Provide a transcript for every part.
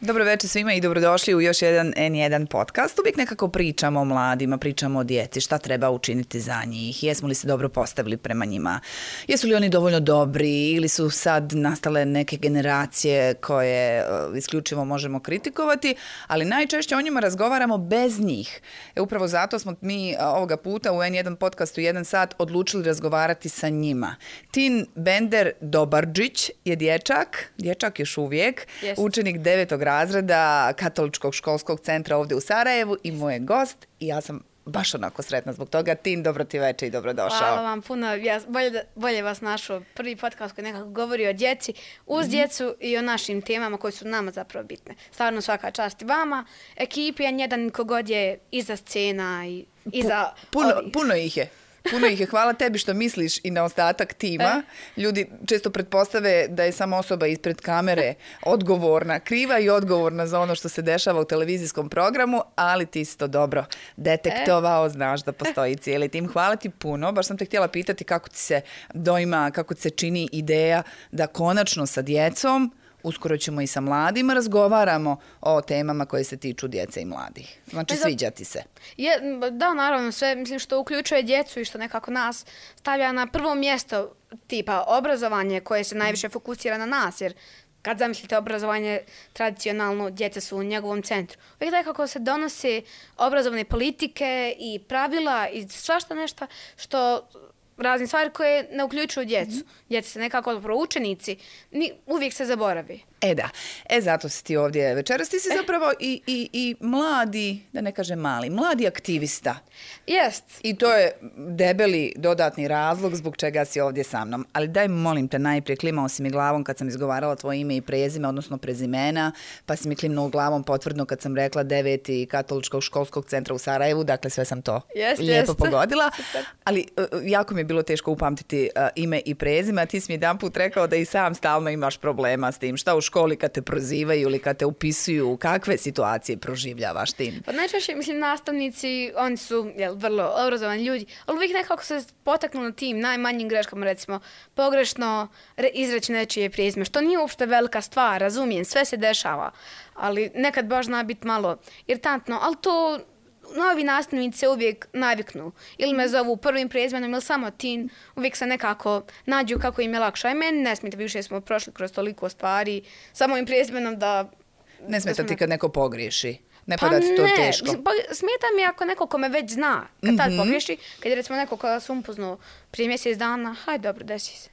Dobro večer svima i dobrodošli u još jedan N1 podcast. Uvijek nekako pričamo o mladima, pričamo o djeci, šta treba učiniti za njih, jesmo li se dobro postavili prema njima, jesu li oni dovoljno dobri ili su sad nastale neke generacije koje isključivo možemo kritikovati, ali najčešće o njima razgovaramo bez njih. Upravo zato smo mi ovoga puta u N1 podcastu 1 sat odlučili razgovarati sa njima. Tin Bender Dobarđić je dječak još uvijek, učenik 9. razreda Katoličkog školskog centra ovdje u Sarajevu i moj je gost i ja sam baš onako sretna zbog toga. Tin, dobro ti večer i dobrodošao. Hvala vam puno. Bolje vas našao. Prvi podcast koji nekako govori o djeci, uz djecu i o našim temama koji su nama zapravo bitne. Stvarno svaka čast i vama. Ekipi N1 kogod je iza scena i iza Puno ih je. Puno ih je. Hvala tebi što misliš i na ostatak tima. Ljudi često pretpostave da je samo osoba ispred kamere odgovorna, kriva i odgovorna za ono što se dešava u televizijskom programu, ali ti si to dobro detektovao, znaš da postoji cijeli tim. Hvala ti puno. Baš sam te htjela pitati kako ti se doima, kako ti se čini ideja da konačno sa djecom, uskoro ćemo i sa mladima, razgovaramo o temama koje se tiču djece i mladih. Znači, sviđa ti se? Da, naravno, sve mislim što uključuje djecu i što nekako nas stavlja na prvo mjesto tipa obrazovanje koje se najviše fokusira na nas, jer kad zamislite obrazovanje, tradicionalno djeca su u njegovom centru. Uvijek nekako se donose obrazovne politike i pravila i svašta nešto što razne stvari koje ne uključuju djecu. Djeca se nekako učenici, uvijek se zaboravi. Da. Zato si ti ovdje večeras. Ti si zapravo i mladi, da ne kažem mali, mladi aktivista. Jest. I to je debeli dodatni razlog zbog čega si ovdje sa mnom. Ali daj, molim te, najprije klimao si mi glavom kad sam izgovarala tvoje ime i prezime, odnosno prezimena, pa si mi klimnuo glavom potvrdno kad sam rekla 9. Katoličkog školskog centra u Sarajevu. Dakle, sve sam to lijepo pogodila. Super. Ali jako mi je bilo teško upamtiti ime i prezime, a ti si mi jedan put rekao da i sam stalno imaš problema s tim. Šta u školi kad te prozivaju ili kad te upisuju, kakve situacije proživljavaš tim? Pa najčešće, mislim, nastavnici, oni su vrlo obrazovani ljudi, ali uvijek nekako se potaknu na tim najmanjim greškama, recimo, pogrešno izreći nečije prezime, što nije uopšte velika stvar, razumijem, sve se dešava, ali nekad baš zna biti malo iritantno, ali to novi nastavnici se uvijek naviknu. Ili me zovu prvim prezimenom ili samo Tin. Uvijek se nekako nađu kako im je lakše. A meni ne smijete, više smo prošli kroz toliko stvari. Samo im prezimenom da... Ne smijete ti kad neko pogriješi? Ne pada ti to teško? Smijeta mi ako neko ko me već zna. Kad tad pogriješi, kad je recimo neko ko sam upoznao prije mjesec dana, hajde dobro, desi se.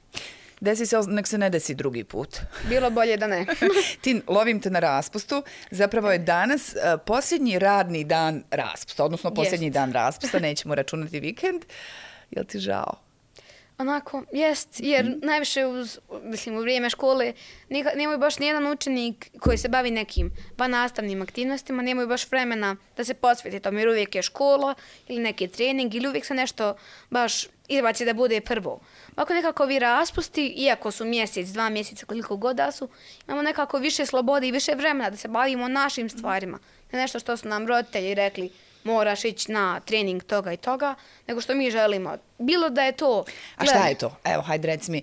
Desi se, nek se ne desi drugi put. Bilo bolje da ne. Tin, lovim te na raspustu. Zapravo je danas posljednji radni dan raspusta, odnosno posljednji dan raspusta, nećemo računati vikend. Jel ti žao? Onako, jest, jer najviše u vrijeme škole nemaju baš nijedan učenik koji se bavi nekim nastavnim aktivnostima, nemaju baš vremena da se posveti tom, jer uvijek je škola ili neki trening ili uvijek se nešto baš izbaci da bude prvo. Ovako nekako ovi raspusti, iako su mjesec, 2 mjeseca, koliko god da su, imamo nekako više slobode i više vremena da se bavimo našim stvarima. Ne nešto što su nam roditelji rekli, moraš ići na trening toga i toga, nego što mi želimo. Bilo da je to... A šta je to? Evo, hajde reci mi.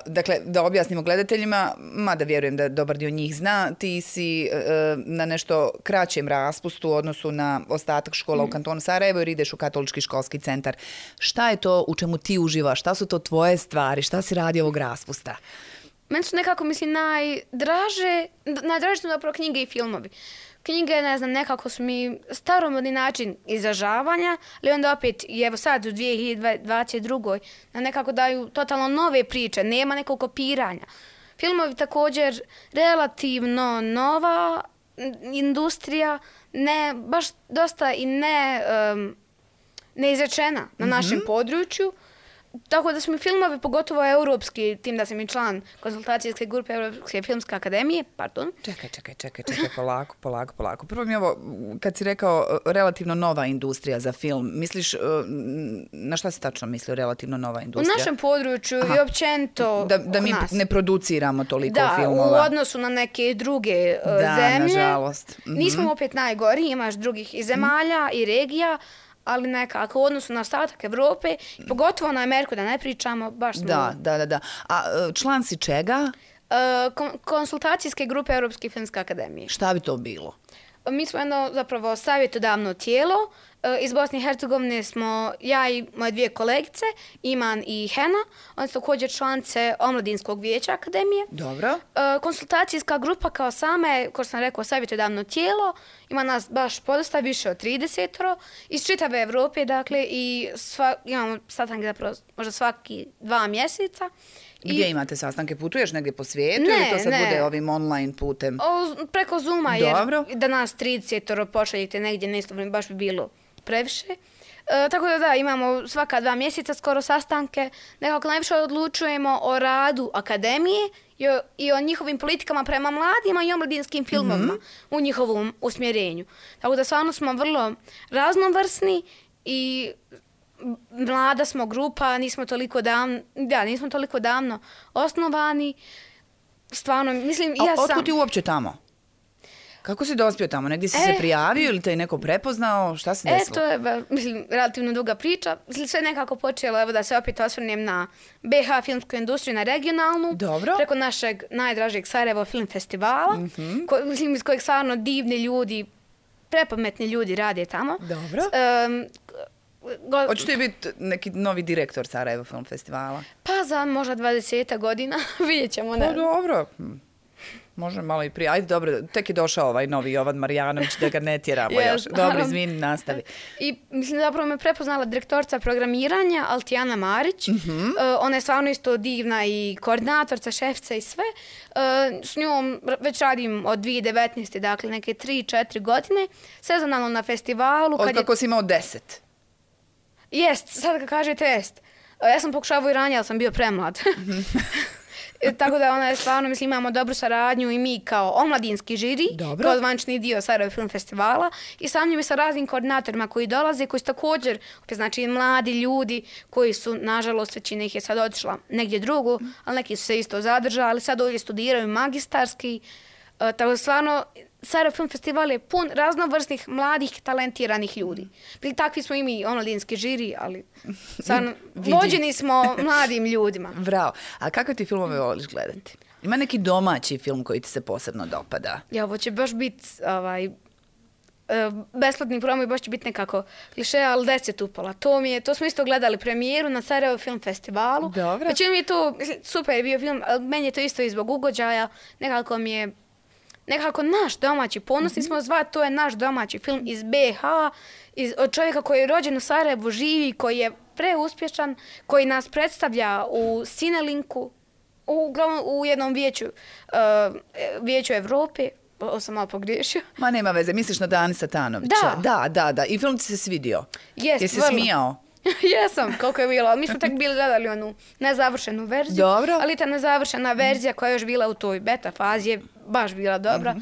Dakle, da objasnimo gledateljima, mada vjerujem da dobar dio njih zna, ti si na nešto kraćem raspustu u odnosu na ostatak škola u kantonu Sarajevo jer ideš u Katolički školski centar. Šta je to u čemu ti uživaš? Šta su to tvoje stvari? Šta si radi ovog raspusta? Meni su nekako, mislim, najdraže su zapravo knjige i filmovi. Knjige, ne znam, nekako su mi staromodni način izražavanja, ali onda opet, i evo sad u 2022. nekako daju totalno nove priče, nema nekog kopiranja. Filmovi također relativno nova industrija, ne, baš dosta i neizrečena na našem području. Tako da su mi filmovi, pogotovo europski, tim da sam i član konzultacijske grupe Europske filmske akademije, pardon. Čekaj, polako. Prvo mi ovo, kad si rekao relativno nova industrija za film, misliš, na šta si tačno mislio relativno nova industrija? U našem području i općenito da mi ne produciramo toliko filmova. Da, u odnosu na neke druge zemlje. Da, nažalost. Nismo opet najgori, imaš drugih i zemalja i regija, ali nekako u odnosu na ostatak Evrope, pogotovo na Ameriku, da ne pričamo, baš smo... Da. A član si čega? Konsultacijske grupe Europske filmske akademije. Šta bi to bilo? Mi smo jedno zapravo savjetodavno tijelo. Iz Bosne i Hercegovine smo ja i moje dvije kolegice, Iman i Hena. Oni su također članice Omladinskog vijeća akademije. Dobro. Konsultacijska grupa kao same, kao što sam rekao, savjetodavno tijelo. Ima nas baš podosta, više od 30 iz čitave Evrope, dakle, i imamo sastanke zapravo možda svaki 2 mjeseca. Gdje imate sastanke? Putuješ negdje po svijetu ili to sad bude ovim online putem? Preko Zooma, jer da nas 30 pošaljete negdje na isto vrijeme, baš bi bilo previše. Tako da imamo svaka 2 mjeseca skoro sastanke. Nekako najviše odlučujemo o radu akademije i o njihovim politikama prema mladima i omladinskim filmovima u njihovom usmjerenju. Tako da stvarno smo vrlo raznovrsni i mlada smo grupa, nismo toliko davno osnovani. Stvarno, mislim, otkud ti uopće tamo? Kako si dospio tamo? Negdje si se prijavio ili te je neko prepoznao? Šta se desilo? To je, mislim, relativno duga priča. Mislim, sve nekako počelo, evo da se opet osvrnem na BH filmsku industriju, na regionalnu. Dobro. Preko našeg najdražeg Sarajevo film festivala, mislim, iz kojeg stvarno divni ljudi, prepametni ljudi rade tamo. Dobro. Hoćete biti neki novi direktor Sarajevo film festivala? Pa za možda 20 godina, vidjet ćemo. Pa dobro. Može malo i prije. Ajde, dobro, tek je došao ovaj novi Jovan Marjanović, da ga ne tjeramo još. Dobro, izvini, nastavi. I mislim, zapravo me prepoznala direktorca programiranja, Altijana Marić. Ona je stvarno isto divna i koordinatorca, šefica i sve. S njom već radim od 2019. Dakle, neke 3-4 godine. Sezonalno na festivalu. Od kako si imao 10? Jest, sad kad kažete jest. Ja sam pokušavao i ranije, ali sam bio premlad. Tako da ona je stvarno, mislim, imamo dobru saradnju i mi kao omladinski žiri, kao zvančni dio Sarajevo film festivala i sa njim i sa raznim koordinatorima koji dolaze, koji su također, znači mladi ljudi koji su, nažalost, većina ih je sad otišla negdje drugo, ali neki su se isto zadržali, sad ovdje studiraju magistarski. Tako da stvarno, Sarajevo film festival je pun raznovrsnih, mladih, talentiranih ljudi. Takvi smo i mi, omladinski žiri, ali stvarno, vođeni smo mladim ljudima. Bravo. A kakve ti filmove voliš gledati? Ima neki domaći film koji ti se posebno dopada? Ja, ovo će baš biti besplatni promo i baš će biti nekako kliše, ali 10 upola. To smo isto gledali premijeru na Sarajevo film festivalu. Dobro. Znači mi je to, super je bio film, ali meni je to isto i zbog ugođaja. Nekako naš domaći, ponosni smo zvati, to je naš domaći film iz BH, od čovjeka koji je rođen u Sarajevu, živi, koji je preuspješan, koji nas predstavlja u Cinelinku, u jednom vijeću Evrope. Ovo sam malo pogriješio. Ma nema veze, misliš na Dani Satanovića? Da. I film ti se svidio? Jesi se smijao? Jesam, koliko je bilo. Mi smo tek bili gledali onu nezavršenu verziju. Dobro. Ali ta nezavršena verzija koja je još bila u toj beta fazi je baš bila dobra.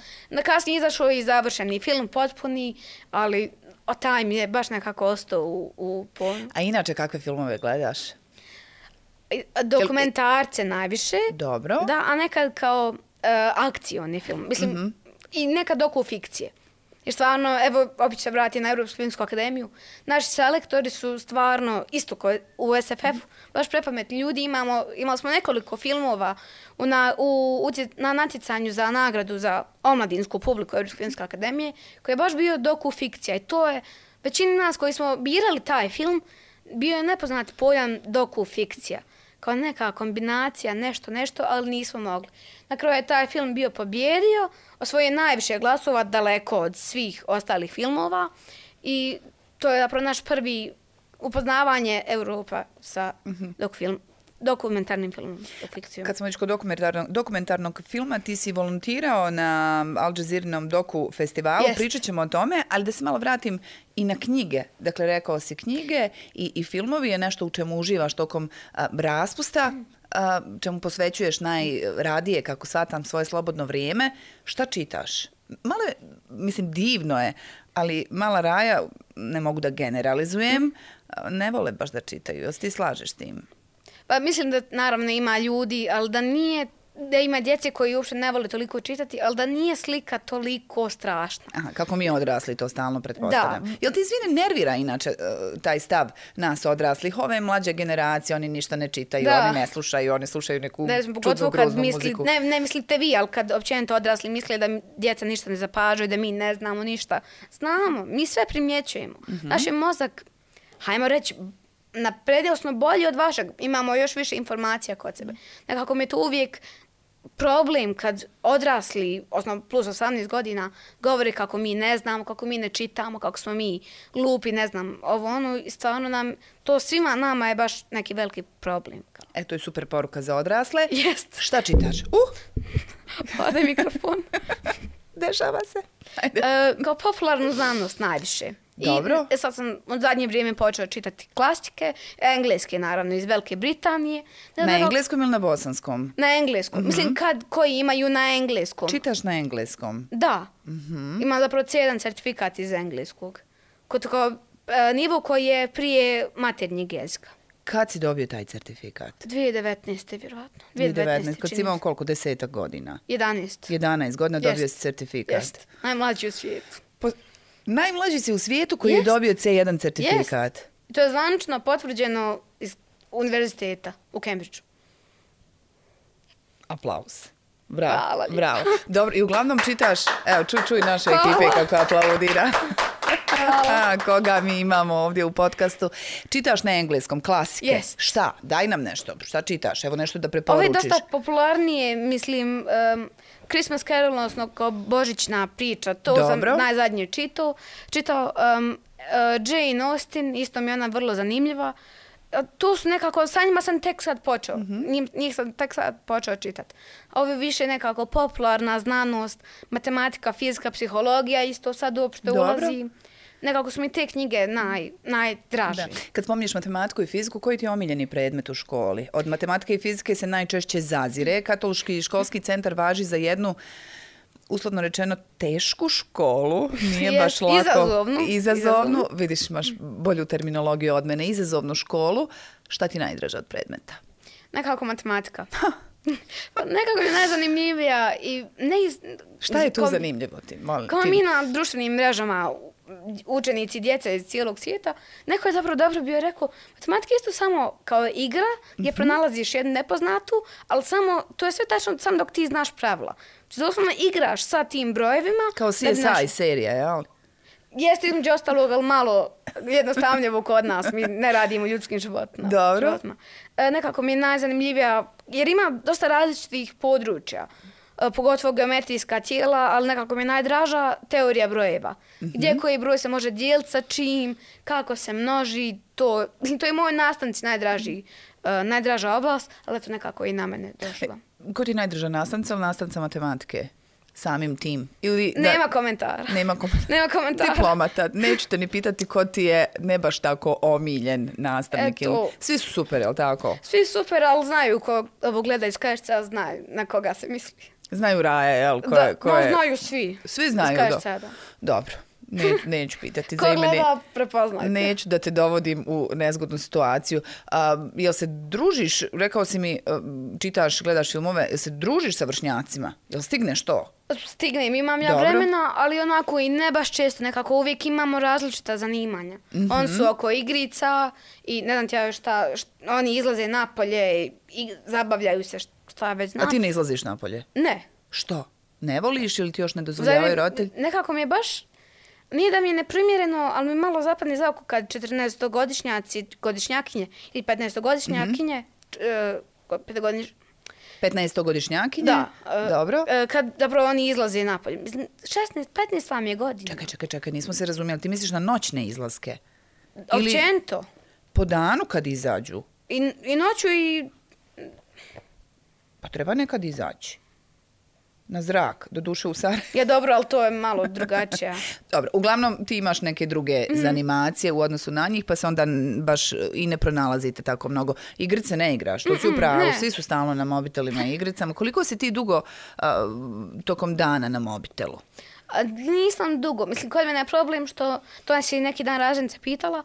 Kasnije izašao i završeni film potpuni, ali taj mi je baš nekako ostao u ponu. A inače kakve filmove gledaš? Dokumentarce najviše. Dobro. Da, a nekad kao akcioni film. Mislim, i nekad dokufikcije. Jer stvarno, evo, opet se vrati na Europsku filmsku akademiju. Naši selektori su stvarno, isto kao u SFF-u, baš prepametni ljudi. Imali smo nekoliko filmova na natjecanju za nagradu za omladinsku publiku Europske filmske akademije, koji je baš bio dokufikcija. I to je, većini nas koji smo birali taj film, bio je nepoznat pojam dokufikcija. Kao neka kombinacija, nešto, ali nismo mogli. Na kraju je taj film bio pobjedio, osvojio najviše glasova daleko od svih ostalih filmova i to je zapravo naš prvi upoznavanje Europa sa dokumentarnim filmom, fikcijom. Kad smo već kod dokumentarnog filma, ti si volontirao na Al Jazeerinom doku festivalu, pričat ćemo o tome, ali da se malo vratim i na knjige. Dakle, rekao si knjige i filmovi je nešto u čemu uživaš tokom raspusta, čemu posvećuješ najradije, kako shvatam, svoje slobodno vrijeme. Šta čitaš? Malo je, mislim, divno je, ali mala Raja, ne mogu da generalizujem, ne vole baš da čitaju. Jel ti slažeš s tim? Pa mislim da naravno ima ljudi, ali da nije da ima djece koji uopšte ne vole toliko čitati, ali da nije slika toliko strašna. Aha, kako mi odrasli to stalno pretpostavljam. Da. Jel ti izvine nervira inače taj stav nas odraslih? Ove mlađe generacije, oni ništa ne čitaju, oni ne slušaju, oni slušaju neku čudnu groznu muziku. Ne mislite vi, ali kad općenito odrasli misle da djeca ništa ne zapažaju, da mi ne znamo ništa. Znamo, mi sve primjećujemo. Naš je mozak, hajmo reći, na predjel smo bolji od vašeg, imamo još više informacija kod sebe. Nekako mi je to uvijek problem kad odrasli, osnovno plus 18 godina, govore kako mi ne znamo, kako mi ne čitamo, kako smo mi glupi, ne znam, i stvarno nam, to svima nama je baš neki veliki problem. To je super poruka za odrasle. Jest. Šta čitaš? Pada mikrofon. Dešava se. Kao popularnu znanost najviše. Dobro. I sad sam u zadnje vrijeme počela čitati klasike, engleske naravno iz Velike Britanije. Na engleskom ili na bosanskom? Na engleskom. Mislim koji imaju na engleskom. Čitaš na engleskom? Da. Imam zapravo C1 certifikat iz engleskog. Nivo koji je prije maternjeg jezika. Kad si dobio taj certifikat? 2019. vjerojatno. 2019. Kad si imao koliko? 10 godina? 11. 11 godina dobio si certifikat. Jest. Najmlađi u svijetu. Najmlađi si u svijetu koji je dobio C1 certifikat. Jest. To je zvanično potvrđeno iz univerziteta u Cambridgeu. Aplauz. Bravo, bravo. Dobro, i uglavnom čitaš, evo, čuj naše ekipe kako aplaudira. Koga mi imamo ovdje u podcastu. Čitaš na engleskom, klasike. Yes. Šta? Daj nam nešto. Šta čitaš? Evo nešto da preporučiš. Ovo je dosta popularnije, mislim, Christmas Carol, odnosno kao božićna priča. To sam najzadnije čitao. Jane Austen, isto mi je ona vrlo zanimljiva. To su nekako, sa njima sam tek sad počeo. Njih sam tek sad počeo čitati. Ovo je više nekako popularna znanost, matematika, fizika, psihologija, isto sad uopšte ulazi. Nekako su mi te knjige najdraži. Kad spominješ matematiku i fiziku, koji ti je omiljeni predmet u školi? Od matematike i fizike se najčešće zazire. Katolički školski centar važi za jednu, uslovno rečeno, tešku školu. Nije baš lako. Izazovnu. Vidiš, imaš bolju terminologiju od mene. Izazovnu školu. Šta ti najdraže od predmeta? Nekako matematika. Nekako je najzanimljivija. Šta je tu zanimljivo ti? Kao mi na društvenim mrežama učenici, djeca iz cijelog svijeta, neko je zapravo dobro bio rekao, matematika je isto samo kao igra gdje pronalaziš jednu nepoznatu, ali samo, to je sve tačno samo dok ti znaš pravila. Znači, doslovno igraš sa tim brojevima. Kao CSI serija, jel? Jeste između ostalog, ali malo jednostavnjevo kod nas. Mi ne radimo ljudskim životima. Dobro. Nekako mi je najzanimljivija, jer ima dosta različitih područja. Pogotovo geometrijska tijela, ali nekako mi je najdraža teorija brojeva. Gdje koji broj se može dijeliti sa čim, kako se množi, to je moj nastavnici najdraža oblast, ali to nekako i na mene došla. Ko ti je najdraža nastavnica ili nastavnica matematike? Samim tim? Nema komentara. Nema komentara. Diplomata. Neću te ni pitati ko ti je ne baš tako omiljen nastavnik. Svi su super, je li tako? Svi super, ali znaju ko ovo gleda iz KSC-a, znaju na koga se misli. Znaju Raja, jel? Znaju svi. Svi znaju, da. Dobro. Neću pitati za ime. Ko gleda, prepoznajte. Neću da te dovodim u nezgodnu situaciju. Jel se družiš, rekao si mi, čitaš, gledaš filmove, jel se družiš sa vršnjacima? Jel stigneš to? Stignem, imam ja vremena, ali onako i ne baš često, nekako uvijek imamo različita zanimanja. Oni su oko igrica i ne znam ti ja šta, oni izlaze napolje i zabavljaju se šta već znam. A ti ne izlaziš napolje? Ne. Što? Ne voliš ili ti još ne dozvoljavaju roditelj? Nekako mi je baš, nije da mi je neprimjereno, ali mi malo zapadne za oko kad 14-godišnjakinje ili 15-godišnjakinje, 15-godišnjakinje? Da. Dobro. Kad zapravo oni izlaze napolje. 15 vam je godina. Čekaj, nismo se razumjeli. Ti misliš na noćne izlaske? Općenito. Po danu kad izađu? I noću i... Pa treba nekad izaći. Na zrak, do duše u Sarajevu. Ja dobro, ali to je malo drugačije. Dobro, uglavnom ti imaš neke druge zanimacije u odnosu na njih, pa se onda baš i ne pronalazite tako mnogo. Igrice ne igraš, to si upravo, svi su stalno na mobitelima i igricama. Koliko si ti dugo tokom dana na mobitelu? Nisam dugo. Mislim, kod mene je problem što, to nas je neki dan Raženica pitala,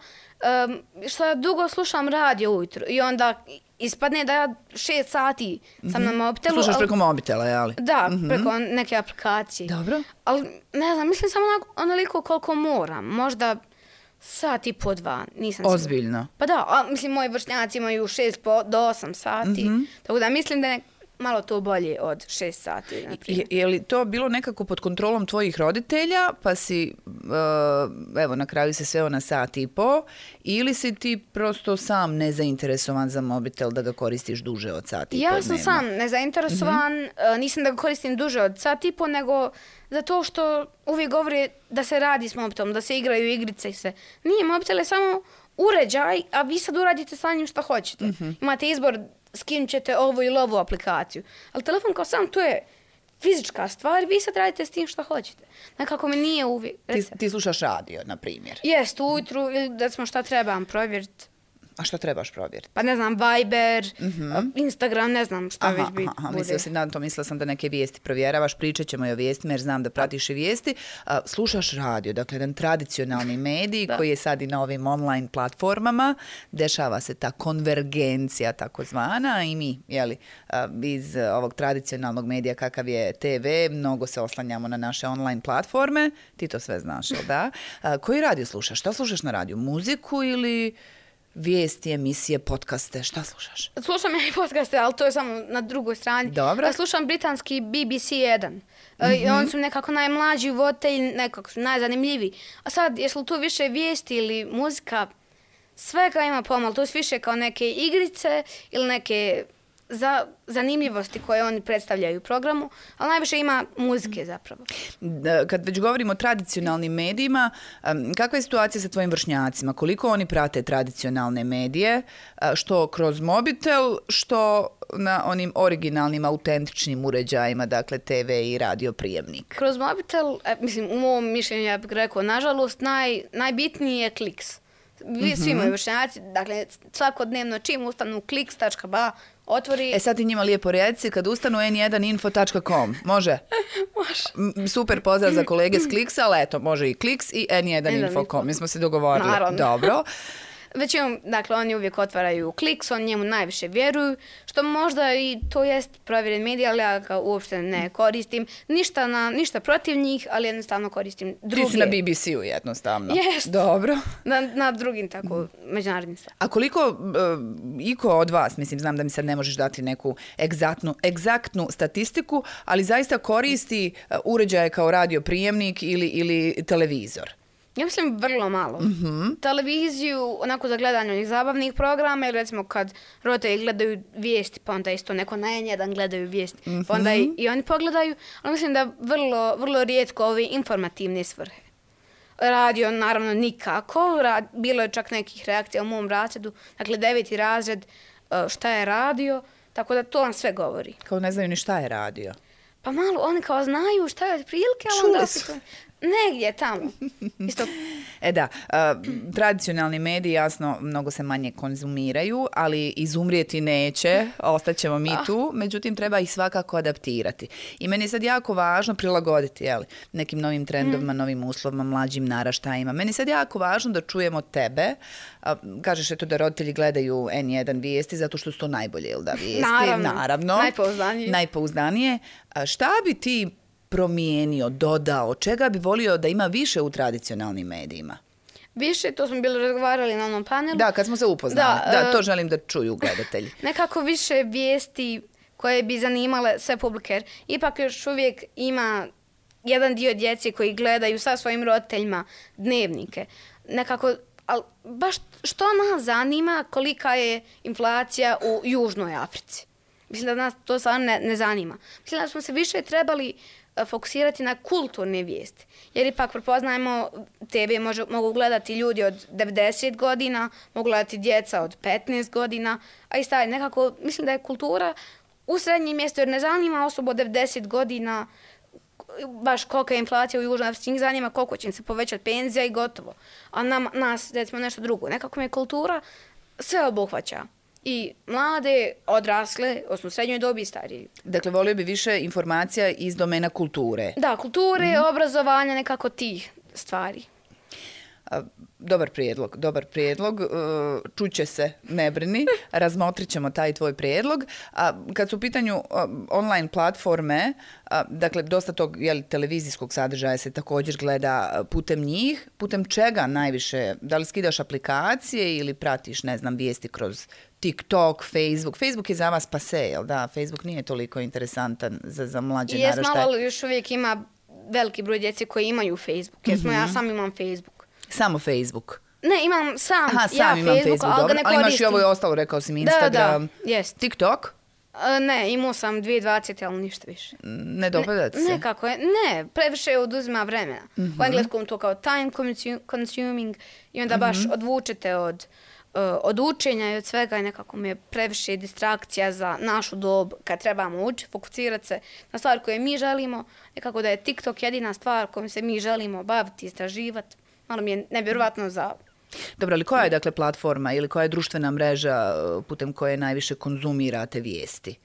što ja dugo slušam radio ujutro i onda ispadne da ja 6 sati sam na mobitelu. Slušaš preko mobitela, jeli? Da, preko neke aplikacije. Dobro. Ali ne znam, mislim samo onoliko koliko moram. Možda sat i po 2, nisam sigurna. Ozbiljno. Pa da, mislim, moji vršnjaci imaju 6 do 8 sati. Tako da mislim da je malo to bolje od 6 sati. Je li to bilo nekako pod kontrolom tvojih roditelja, pa si, evo, na kraju se sveo na sat i po, ili si ti prosto sam nezainteresovan za mobitel da ga koristiš duže od sat i po dnevno? Ja sam sam nezainteresovan, nisam da ga koristim duže od sat i po, nego zato što uvijek govori da se radi s mobitelom, da se igraju igrice i sve. Nije, mobitel je samo uređaj, a vi sad uradite sa njim šta hoćete. Imate izbor, skinut ćete ovu ili ovu aplikaciju. Ali telefon kao sam, to je fizička stvar, vi sad radite s tim što hoćete. Nekako mi nije uvijek. Ti slušaš radio, na primjer. Jest, ujutru ili da smo šta trebam provjeriti. A što trebaš provjeriti? Pa ne znam, Viber, Instagram, ne znam šta već bude. Mislila sam da neke vijesti provjeravaš, pričat ćemo i o vijestima jer znam da pratiš i vijesti. Slušaš radio, dakle jedan tradicionalni medij koji je sad i na ovim online platformama. Dešava se ta konvergencija takozvana i mi, iz ovog tradicionalnog medija kakav je TV, mnogo se oslanjamo na naše online platforme. Ti to sve znaš, da? Koji radio slušaš? Šta slušaš na radiju? Muziku ili vijesti, emisije, podcaste, šta slušaš? Slušam ja i podcaste, ali to je samo na drugoj strani. Dobro. Ja slušam britanski BBC 1. Oni su nekako najmlađi voditelji, nekako su najzanimljiviji. A sad, jesu li tu više vijesti ili muzika, svega ima pomalo. To su više kao neke igrice ili neke zanimljivosti koje oni predstavljaju u programu, ali najviše ima muzike zapravo. Kad već govorimo o tradicionalnim medijima, kakva je situacija sa tvojim vršnjacima? Koliko oni prate tradicionalne medije, što kroz mobitel, što na onim originalnim, autentičnim uređajima, dakle TV i radio prijemnik? Kroz mobitel, mislim, u mom mišljenju ja bih rekao, nažalost, najbitniji je Kliks. Svi moji vršnjaci, dakle, svakodnevno čim ustanu kliks.ba, otvori... Sad ti njima lijepo reci, kad ustanu n1info.com, može? Može. Super pozdrav za kolege s Kliksa, ali eto, može i Kliks i n1info.com, mi smo se dogovorili. Naravno. Dobro. Većinom, dakle, oni uvijek otvaraju Kliks, oni njemu najviše vjeruju, što možda i to jest provjeren medij, ali ja ga uopšte ne koristim. Ništa protiv njih, ali jednostavno koristim druge. Ti si na BBC-u jednostavno. Jest. Dobro. Na drugim tako međunarodnim stvarima. A koliko iko od vas, mislim, znam da mi sad ne možeš dati neku egzaktnu statistiku, ali zaista koristi uređaje kao radio prijemnik ili televizor? Ja mislim vrlo malo. Televiziju, onako za gledanje onih zabavnih programa, ili recimo kad roditelji gledaju vijesti, pa onda isto neko na N1 gledaju vijesti, pa onda i oni pogledaju, ali mislim da vrlo rijetko ove informativne svrhe. Radio, naravno, nikako. Bilo je čak nekih reakcija u mom razredu, dakle 9. razred, šta je radio, tako da to vam sve govori. Kao ne znaju ni šta je radio. Pa malo, oni kao znaju šta je otprilike, ali onda opet... Negdje tamo. Isto. Da, tradicionalni mediji jasno mnogo se manje konzumiraju, ali izumrijeti neće, ostaćemo mi tu, međutim treba ih svakako adaptirati. I meni je sad jako važno prilagoditi nekim novim trendovima, novim uslovima, mlađim naraštajima. Meni je sad jako važno da čujemo tebe. Kažeš eto da roditelji gledaju N1 vijesti zato što su to najbolje, ili da, vijesti? Naravno. Najpouzdanije. Šta bi ti promijenio, dodao, čega bi volio da ima više u tradicionalnim medijima? Više, to smo bili razgovarali na onom panelu. Da, kad smo se upoznali. Da, to želim da čuju gledatelji. Nekako više vijesti koje bi zanimale sve publike. Ipak još uvijek ima jedan dio djece koji gledaju sa svojim roditeljima dnevnike. Nekako, ali baš što nas zanima kolika je inflacija u Južnoj Africi. Mislim da nas to stvarno ne zanima. Mislim da smo se više trebali fokusirati na kulturne vijesti. Jer ipak prepoznajemo, TV mogu gledati ljudi od 90 godina, mogu gledati djeca od 15 godina, a i stari nekako, mislim da je kultura u srednjem mjestu, jer ne zanima osobu od 90 godina baš kolika je inflacija u Južnoj Africi, njih zanima koliko će im se povećati penzija i gotovo. A nas, recimo, nešto drugo. Nekako me kultura sve obuhvaća. i mlade, odrasle, odnosno srednjoj dobi i stariji. Dakle, volio bi više informacija iz domena kulture. Da, kulture, obrazovanja, nekako tih stvari. Dobar prijedlog. Čuće se, ne brini, razmotrit ćemo taj tvoj prijedlog. Kad su u pitanju online platforme, dakle, dosta tog televizijskog sadržaja se također gleda putem njih. Putem čega najviše? Da li skidaš aplikacije ili pratiš, ne znam, vijesti kroz TikTok, Facebook? Facebook je za vas pase, jel da? Facebook nije toliko interesantan za mlađe naraštaje. Jesmo, ali još uvijek ima veliki broj djece koji imaju Facebook. Ja sam imam Facebook. Samo Facebook? Ne, imam sam imam Facebook, dobro. Ali imaš i ovo i ostalo, rekao sam Instagram. Jest. TikTok? Ne, imao sam 2020, ali ništa više. Ne dopada se? Nekako je, ne, previše oduzima vremena. U engleskom to kao time consuming i onda baš odvučete od učenja i od svega i nekako mi je previše distrakcija za našu dobu kad trebamo učiti, fokusirati se na stvari koje mi želimo, nekako da je TikTok jedina stvar kojom se mi želimo baviti, istraživati. Malo mi je nevjerovatno za... Dobro, ali koja je dakle platforma ili koja je društvena mreža putem koje najviše konzumirate vijesti?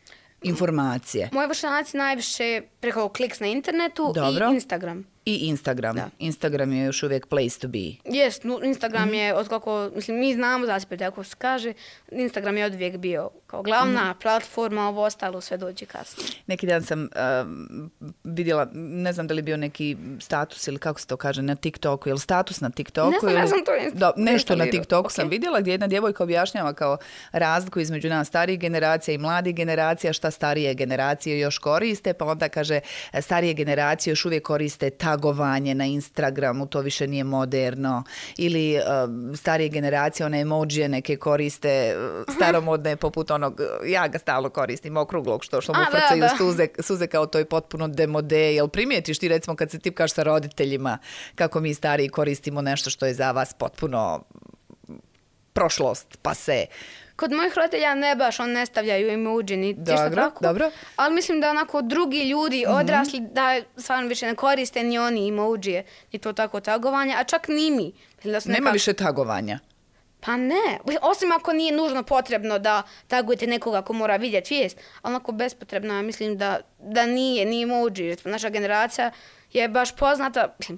Informacije? Moji vršnjaci najviše preko kliks na internetu. Dobro. I Instagram. I Instagram. Da. Instagram je još uvijek place to be. Jest, Instagram je otkako, mislim, mi znamo za sebe, ako se kaže, Instagram je odvijek bio kao glavna platforma, ovo ostalo sve dođe kasnije. Neki dan sam vidjela, ne znam da li je bio neki status ili kako se to kaže na TikToku, ili status na TikToku. Ne znam to nešto na TikToku sam vidjela gdje jedna djevojka objašnjava kao razliku između nas starijih generacija i mladih generacija, šta starije generacije još koriste, pa onda kaže starije generacije još uvijek koriste tagovanje na Instagramu, to više nije moderno, ili starije generacije, one emojije neke koriste staromodne poput onog, ja ga stalno koristim, okruglog što mu frcaju suze kao to je potpuno demode. Jel primijetiš ti recimo kad se tipkaš sa roditeljima kako mi stariji koristimo nešto što je za vas potpuno prošlost, pase? Kod mojih roditelja ne baš, on ne stavljaju emoji ni ništa tako. Dobro. Ali mislim da onako drugi ljudi odrasli da stvarno više ne koriste ni oni emoji, ni to tako tagovanje, a čak ni mi. Nema više tagovanja? Pa ne, osim ako nije nužno potrebno da tagujete nekoga ko mora vidjeti vijest, ali onako bespotrebno, ja mislim da nije emoji. Naša generacija je baš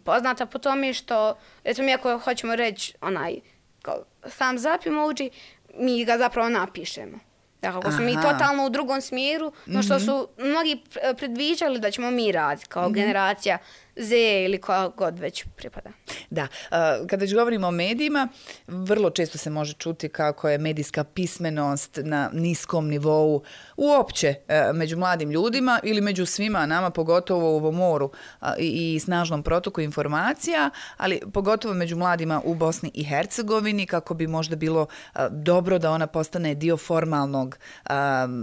poznata po tome što, recimo mi ako hoćemo reći kao thumbs up emoji, mi ga zapravo napišemo. Dakle, ako smo mi totalno u drugom smjeru, no što su mnogi predviđali da ćemo mi raditi kao generacija Z ili koja god već pripada. Da, kada već govorimo o medijima, vrlo često se može čuti kako je medijska pismenost na niskom nivou uopće među mladim ljudima ili među svima nama, pogotovo u ovom moru i snažnom protoku informacija, ali pogotovo među mladima u Bosni i Hercegovini, kako bi možda bilo dobro da ona postane dio formalnog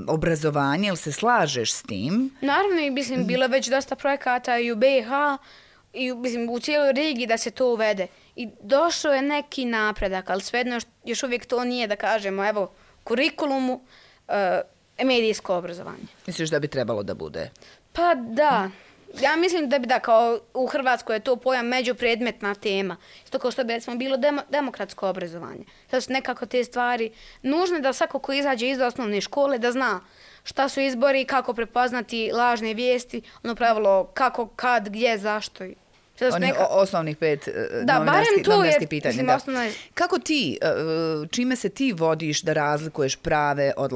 obrazovanja. Jel se slažeš s tim? Naravno, i mislim, bilo već dosta projekata i u BiH i mislim, u cijeloj regiji da se to uvede. I došao je neki napredak, ali svejedno još uvijek to nije, da kažemo, evo, kurikulumu medijsko obrazovanje. Misliš da bi trebalo da bude? Pa da. Ja mislim da bi kao u Hrvatskoj je to pojam međupredmetna tema. Isto kao što bi recimo bilo demokratsko obrazovanje. To su nekako te stvari nužne da svako ko izađe iz osnovne škole da zna šta su izbori, kako prepoznati lažne vijesti, ono pravilo kako, kad, gdje, zašto. Osnovnih 5 novinarskih pitanja. Mislim, kako ti, čime se ti vodiš da razlikuješ prave od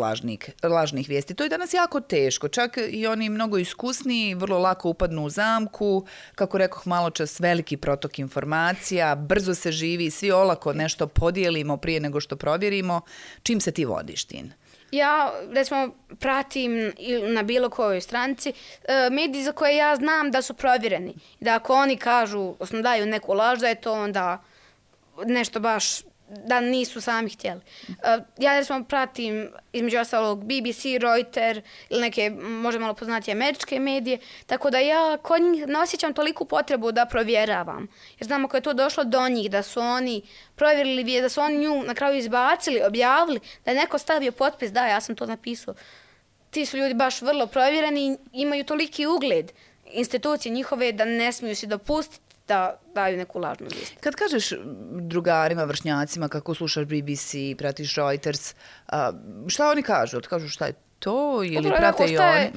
lažnih vijesti? To je danas jako teško. Čak i oni mnogo iskusniji vrlo lako upadnu u zamku. Kako rekoh malo čas, veliki protok informacija, brzo se živi, svi olako nešto podijelimo prije nego što provjerimo. Čim se ti vodiš, Tin? Ja, recimo, pratim na bilo kojoj stranici mediji za koje ja znam da su provjereni. Da ako oni kažu, odnosno daju neku laž, da je to onda nešto baš da nisu sami htjeli. Ja, recimo, pratim između ostalog BBC, Reuters ili neke možda malo poznatije američke medije, tako da ja kod njih ne osjećam toliku potrebu da provjeravam. Jer znam ako je to došlo do njih, da su oni provjerili, da su oni nju na kraju izbacili, objavili, da je neko stavio potpis, da, ja sam to napisao. Ti su ljudi baš vrlo provjereni, imaju toliki ugled institucije njihove da ne smiju si dopustiti da daju neku lažnu vijest. Kad kažeš drugarima, vršnjacima kako slušaš BBC, pratiš Reuters, šta oni kažu? Kažu šta je to ili prate i oni?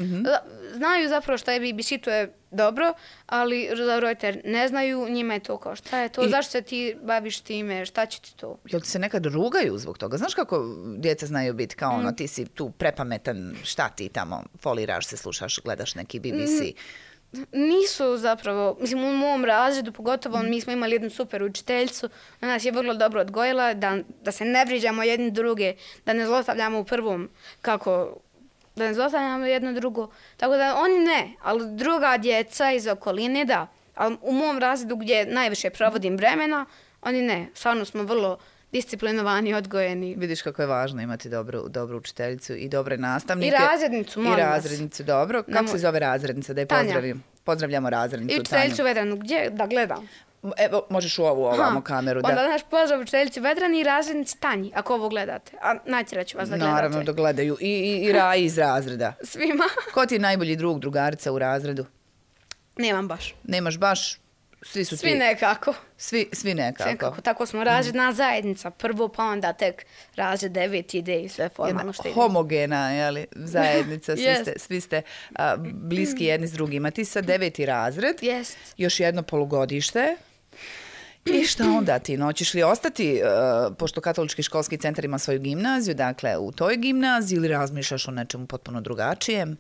Znaju zapravo šta je BBC, to je dobro, ali za Reuters ne znaju, njima je to kao šta je to, zašto se ti baviš time, šta će ti to? Jel ti se nekad rugaju zbog toga? Znaš kako djeca znaju biti kao ono, ti si tu prepametan, šta ti tamo foliraš se, slušaš, gledaš neki BBC? Nisu zapravo, mislim u mom razredu pogotovo mi smo imali jednu super učiteljicu, ona nas je vrlo dobro odgojila da se ne vrijeđamo jedni druge, da ne zlostavljamo u prvom da ne zlostavljamo jedno drugo. Tako da oni ne, ali druga djeca iz okoline da. Ali u mom razredu gdje najviše provodim vremena, oni ne. Stvarno smo vrlo disciplinovani i odgojeni. Vidiš kako je važno imati dobru učiteljicu i dobre nastavnike. I razrednicu, molim vas. I razrednicu, dobro. Kako se zove razrednica? Da je pozdravim. Pozdravljamo razrednicu. I učiteljicu Vedranu. Gdje da gledam? Evo, možeš u ovu ovamo kameru. Onda naš pozdrav učiteljici Vedrani i razrednici Tanji, ako ovo gledate. A natjerat ću vas da gledate. Naravno da gledaju. I Raji iz razreda. Svima. Ko ti je najbolji drug, drugarica u razredu? Nemam baš. Nemaš baš? Svi nekako. Svi nekako. Tako smo razredna zajednica. Prvo pa onda tek razred 9 ide i sve formalno što ide. Homogena, jeli, zajednica. Svi ste bliski jedni s drugima. Ti sad 9. razred. Jest. Još jedno polugodište. I šta onda ti? Hoćeš li ostati, pošto Katolički školski centar ima svoju gimnaziju, dakle u toj gimnaziji ili razmišljaš o nečemu potpuno drugačijem?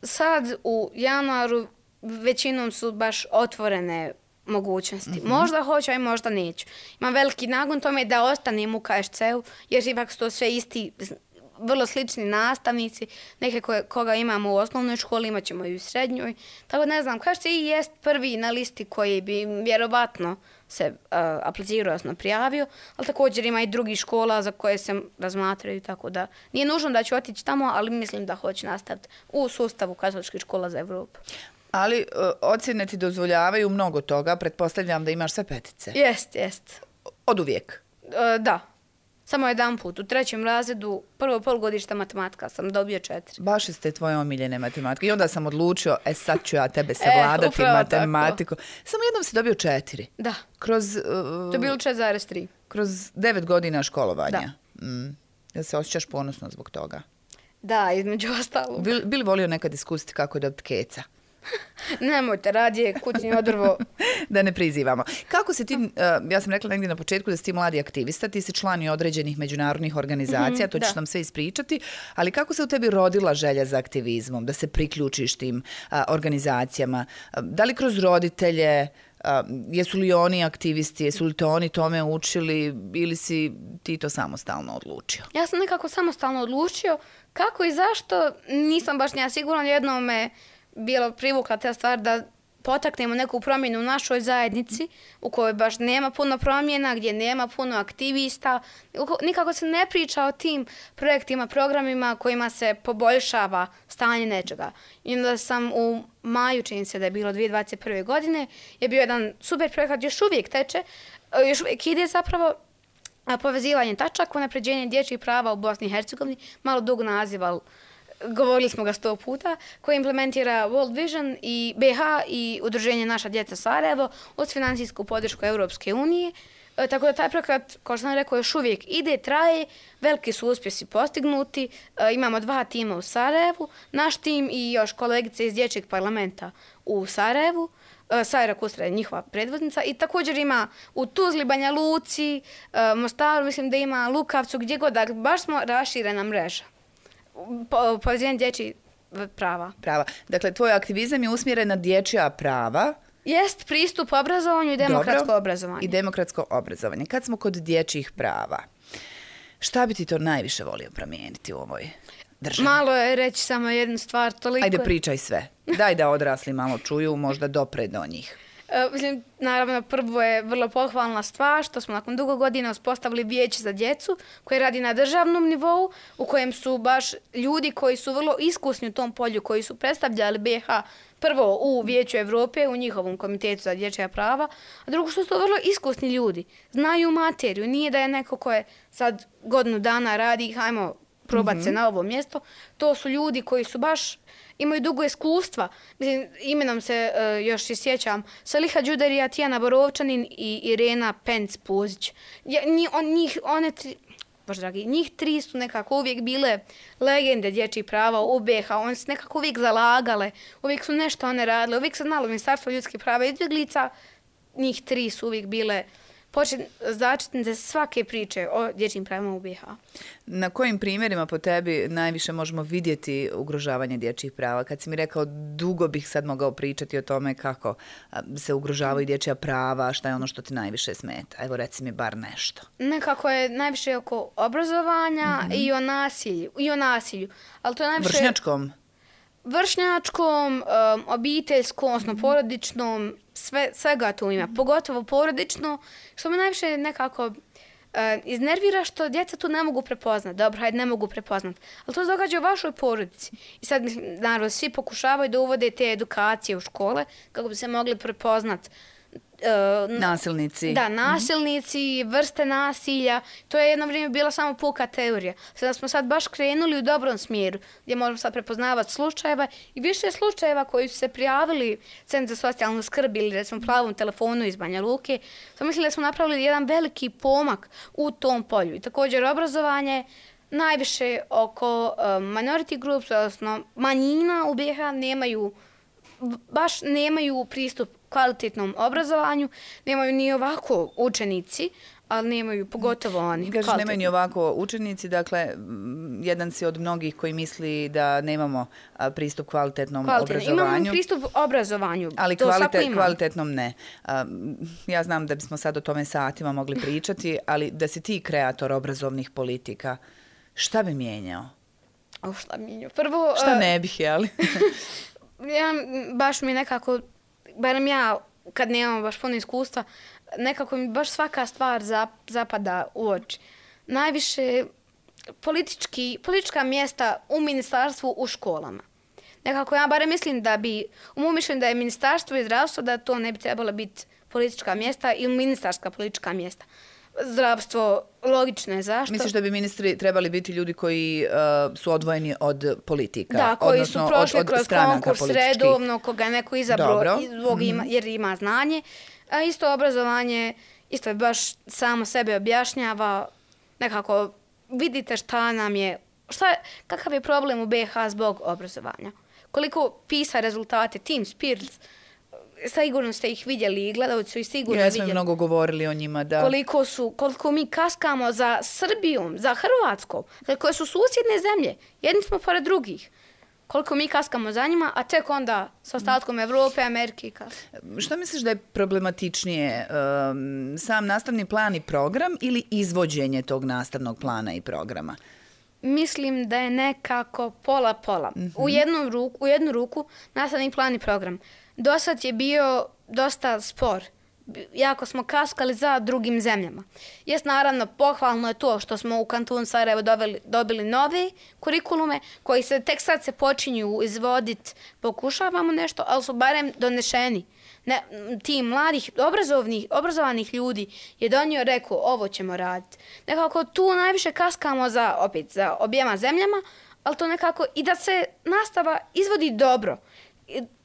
Sad u januaru većinom su baš otvorene mogućnosti. Možda hoću, a možda neću. Imam veliki nagon tome da ostanem u KSC-u, jer ipak su to sve isti, vrlo slični nastavnici, neke koga imamo u osnovnoj školi, imat ćemo i u srednjoj. Tako ne znam, KSC i jest prvi na listi koji bi vjerovatno se aplicirao, odnosno prijavio, ali također ima i drugih škola za koje se razmatraju, tako da nije nužno da ću otići tamo, ali mislim da hoću nastaviti u sustavu Katoličkih škola za Evropu. Ali ocjene ti dozvoljavaju mnogo toga, pretpostavljam da imaš sve petice. Jest. Od uvijek? Da. Samo jedan put. U 3. razredu, prvo polugodište matematika sam dobio 4. Baš ste tvoje omiljene matematike. I onda sam odlučio, sad ću ja tebe savladati matematiku. Tako. Samo jednom si dobio 4. Da. Kroz... To je bilo 4,3. Kroz 9 godina školovanja. Da. Jel se osjećaš ponosno zbog toga? Da, između ostalog. Bi li volio nekad iskusiti kako je dobiti keca? Nemojte, radije kućni odrvo. Da ne prizivamo. Kako si ti, ja sam rekla negdje na početku da si ti mladi aktivista, ti si član i određenih međunarodnih organizacija, to ćeš nam sve ispričati, ali kako se u tebi rodila želja za aktivizmom, da se priključiš tim organizacijama? Da li kroz roditelje, jesu li oni aktivisti, jesu li to oni tome učili ili si ti to samostalno odlučio? Ja sam nekako samostalno odlučio. Kako i zašto, nisam baš nija sigurno, jednom me bilo privukla ta stvar da potaknemo neku promjenu u našoj zajednici u kojoj baš nema puno promjena, gdje nema puno aktivista. Nikako se ne priča o tim projektima, programima kojima se poboljšava stanje nečega. I onda sam u maju, čini se da je bilo 2021. godine, je bio jedan super projekat, još uvijek teče, još uvijek ide zapravo povezivanje tačaka, unapređenje dječjih prava u Bosni i Hercegovini, malo dug naziv, ali govorili smo ga 100 puta, koji implementira World Vision i BH i udruženje Naša djeca Sarajevo uz financijsku podršku Europske unije. Tako da taj projekat, kao što sam rekao, još uvijek ide, traje, veliki su uspjesi postignuti. Imamo 2 tima u Sarajevu, naš tim i još kolegice iz dječjeg parlamenta u Sarajevu. Sajra Kustra je njihova predvodnica i također ima u Tuzli, Banja Luci, Mostaru, mislim da ima Lukavcu, gdje god, dakle, baš smo raširena mreža. Povezivanje dječjih prava. Dakle, tvoj aktivizam je usmjeren na dječja prava. Jest pristup obrazovanju i demokratsko obrazovanje. I demokratsko obrazovanje. Kad smo kod dječjih prava, šta bi ti to najviše volio promijeniti u ovoj državi? Malo je reći samo jednu stvar. Toliko... Ajde, pričaj sve. Daj da odrasli malo čuju, možda dopre do njih. Mislim, naravno, prvo je vrlo pohvalna stvar što smo nakon dugo godina uspostavili vijeće za djecu koje radi na državnom nivou, u kojem su baš ljudi koji su vrlo iskusni u tom polju, koji su predstavljali BiH prvo u Vijeću Evrope, u njihovom komitetu za dječja prava, a drugo što su vrlo iskusni ljudi, znaju materiju, nije da je neko ko je sad godinu dana radi, hajmo probati se na ovo mjesto. To su ljudi koji su baš imaju dugo iskustva. Mislim, imenom se još i sjećam Saliha Đuderija, Tijana Borovčanin i Irena Penc-Puzić. Njih tri su nekako uvijek bile legende dječjih prava u BiH. One su nekako uvijek zalagale, uvijek su nešto one radile, uvijek se znalo Ministarstvo ljudskih prava i izbjeglica. Njih tri su uvijek bile začetnice svake priče o dječjim pravima u BiH. Na kojim primjerima po tebi najviše možemo vidjeti ugrožavanje dječjih prava? Kad si mi rekao, dugo bih sad mogao pričati o tome kako se ugrožavaju dječja prava, šta je ono što ti najviše smeta. Evo, reci mi bar nešto. Nekako je najviše oko obrazovanja i o nasilju. Ali to je najviše... Vršnjačkom, obiteljskom, odnosno porodičnom, svega tu ima, pogotovo porodično, što me najviše nekako iznervira što djeca tu ne mogu prepoznat. Dobro, hajde, ne mogu prepoznat. Ali to se događa u vašoj porodici. I sad, naravno, svi pokušavaju da uvode te edukacije u škole kako bi se mogli prepoznat nasilnici. Da, nasilnici, vrste nasilja. To je jedno vrijeme bila samo puka teorija. Sada smo sad baš krenuli u dobrom smjeru, gdje možemo sad prepoznavati slučajeva i više slučajeva koji su se prijavili Centru za socijalnu skrb ili recimo Plavom telefonu iz Banja Luke. Sam mislila da smo napravili jedan veliki pomak u tom polju. I također obrazovanje najviše oko minority groups, odnosno manjina u BiH nemaju pristup kvalitetnom obrazovanju, nemaju ni ovako učenici, ali nemaju pogotovo oni. Kažeš, nemaju ni ovako učenici, dakle, jedan si od mnogih koji misli da nemamo pristup kvalitetnom obrazovanju. Imamo pristup obrazovanju, ali kvalitetnom ne. Ja znam da bismo sad o tome satima mogli pričati, ali da si ti kreator obrazovnih politika, šta bi mijenjao? Šta bi mijenjao? Prvo... Šta ne bih, jeli? Baš mi nekako, barem ja, kad nemam baš puno iskustva, nekako mi baš svaka stvar zapada u oči. Najviše politička mjesta u ministarstvu, u školama. Nekako ja barem mislim da bi, u mom mišljenju da je ministarstvo i zdravstvo, da to ne bi trebalo biti politička mjesta ili ministarska politička mjesta. Zdravstvo, logično je zašto. Misliš da bi ministri trebali biti ljudi koji su odvojeni od politika? Da, koji su prošli kroz konkurs redovno, koga je neko izabrao jer ima znanje. A isto obrazovanje, isto je baš samo sebe objašnjava. Nekako vidite šta nam je, kakav je problem u BiH zbog obrazovanja. Koliko pisa rezultate, Team Spirits, sigurno ste ih vidjeli i gledalci su ih sigurno vidjeli. Ja smo mnogo govorili o njima, da. Koliko mi kaskamo za Srbijom, za Hrvatskom, koje su susjedne zemlje. Jedni smo pored drugih. Koliko mi kaskamo za njima, a tek onda s ostatkom Evrope, Amerike i kaskamo. Što misliš da je problematičnije? Sam nastavni plan i program ili izvođenje tog nastavnog plana i programa? Mislim da je nekako pola-pola. U jednu ruku nastavni plan i program. Dosad je bio dosta spor. Jako smo kaskali za drugim zemljama. Jest, naravno, pohvalno je to što smo u kantonu Sarajevo dobili nove kurikulume koji se tek sad se počinju izvoditi. Pokušavamo nešto, ali su barem donešeni. Ti mladih, obrazovanih ljudi je donio, rekao, ovo ćemo raditi. Nekako tu najviše kaskamo za objema zemljama, ali to nekako i da se nastava izvodi dobro.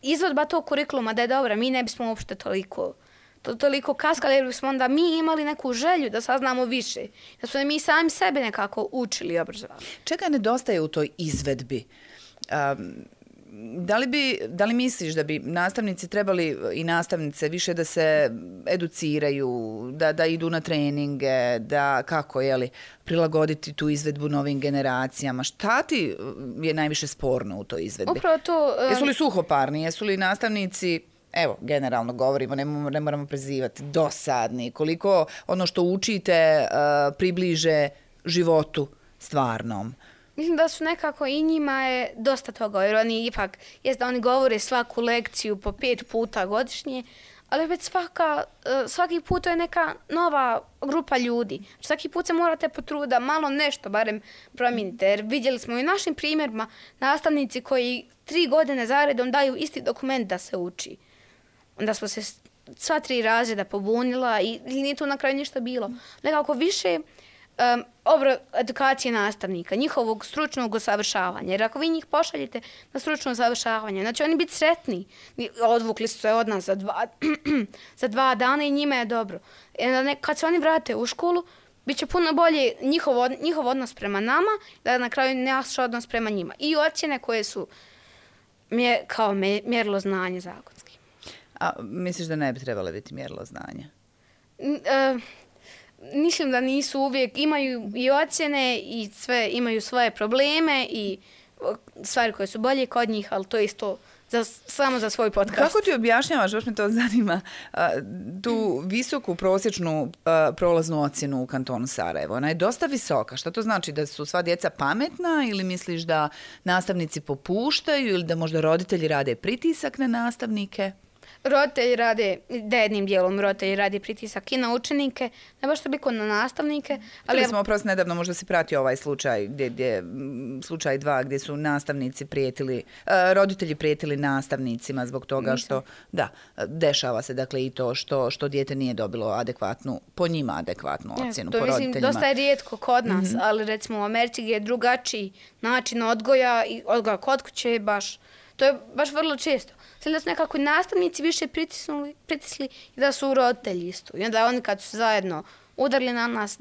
Izvodba tog kurikuluma da je dobra, mi ne bismo uopšte toliko kaskali, jer bismo onda mi imali neku želju da saznamo više. Da smo mi sami sebe nekako učili obrazovati. Čega nedostaje u toj izvedbi? Da li misliš da bi nastavnici trebali i nastavnice više da se educiraju, da idu na treninge, da kako, prilagoditi tu izvedbu novim generacijama? Šta ti je najviše sporno u toj izvedbi? Upravo to... Jesu li suhoparni, jesu li nastavnici, evo, generalno govorimo, ne moramo prezivati, dosadni, koliko ono što učite približe životu stvarnom? Mislim da su nekako i njima je dosta toga, jer oni ipak, jest da oni govore svaku lekciju po 5 puta godišnje, ali već svaki put to je neka nova grupa ljudi. Svaki put se morate potruditi da malo nešto barem promijenite, jer vidjeli smo i našim primjerima nastavnici koji 3 godine zaredom daju isti dokument da se uči. Onda smo se sva 3 razreda pobunila i nije tu na kraju ništa bilo. Nekako više edukacije nastavnika, njihovog stručnog usavršavanja. Jer ako vi njih pošaljete na stručno usavršavanje, znači oni biti sretni. Odvukli su se od nas za 2 dana i njima je dobro. Kad se oni vrate u školu, bit će puno bolje njihov odnos prema nama, da na kraju naš odnos prema njima. I ocjene koje su kao mjerilo znanja zakonski. A misliš da ne bi trebalo biti mjerilo znanja? Mislim da nisu uvijek, imaju i ocjene i sve, imaju svoje probleme i stvari koje su bolje kod njih, ali to je isto samo za svoj podcast. Kako ti objašnjavaš, baš me to zanima, tu visoku prosječnu prolaznu ocjenu u kantonu Sarajevo? Ona je dosta visoka. Šta to znači? Da su sva djeca pametna ili misliš da nastavnici popuštaju ili da možda roditelji rade pritisak na nastavnike? Roditelji rade, da jednim dijelom roditelji rade pritisak i na učenike, ne baš toliko na nastavnike. Ali smo oprosti nedavno, možda si pratio ovaj slučaj, slučaj 2, gdje su nastavnici prijetili, roditelji prijetili nastavnicima zbog toga što, da, dešava se dakle i to što dijete nije dobilo adekvatnu, po njima adekvatnu ocjenu, po roditeljima. To mislim, dosta je rijetko kod nas, ali recimo u Americi gdje je drugačiji način odgoja i odgoja kod kuće baš. To je baš vrlo često. Sve da su nekako nastavnici više pritisli i da su roditelji isto. I onda oni kad su zajedno udarili na nas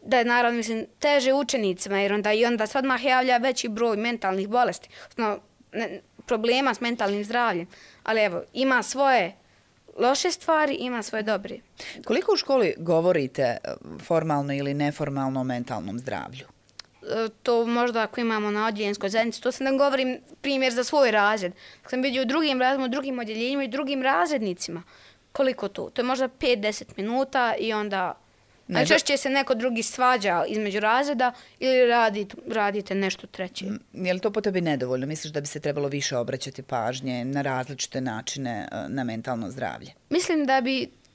da je naravno mislim teže učenicima jer onda se odmah javlja veći broj mentalnih bolesti. Problema s mentalnim zdravljem. Ali evo, ima svoje loše stvari, ima svoje dobre. Koliko u školi govorite formalno ili neformalno o mentalnom zdravlju? To možda ako imamo na odjeljenskoj zajednici, to sam da govorim primjer za svoj razred. Ako sam vidio u drugim razredima, u drugim odjeljenjima i drugim razrednicima, koliko to? To je možda 5-10 minuta i onda najčešće se neko drugi svađa između razreda ili radite nešto treće. Je li to po tebi nedovoljno? Misliš da bi se trebalo više obraćati pažnje na različite načine na mentalno zdravlje? Mislim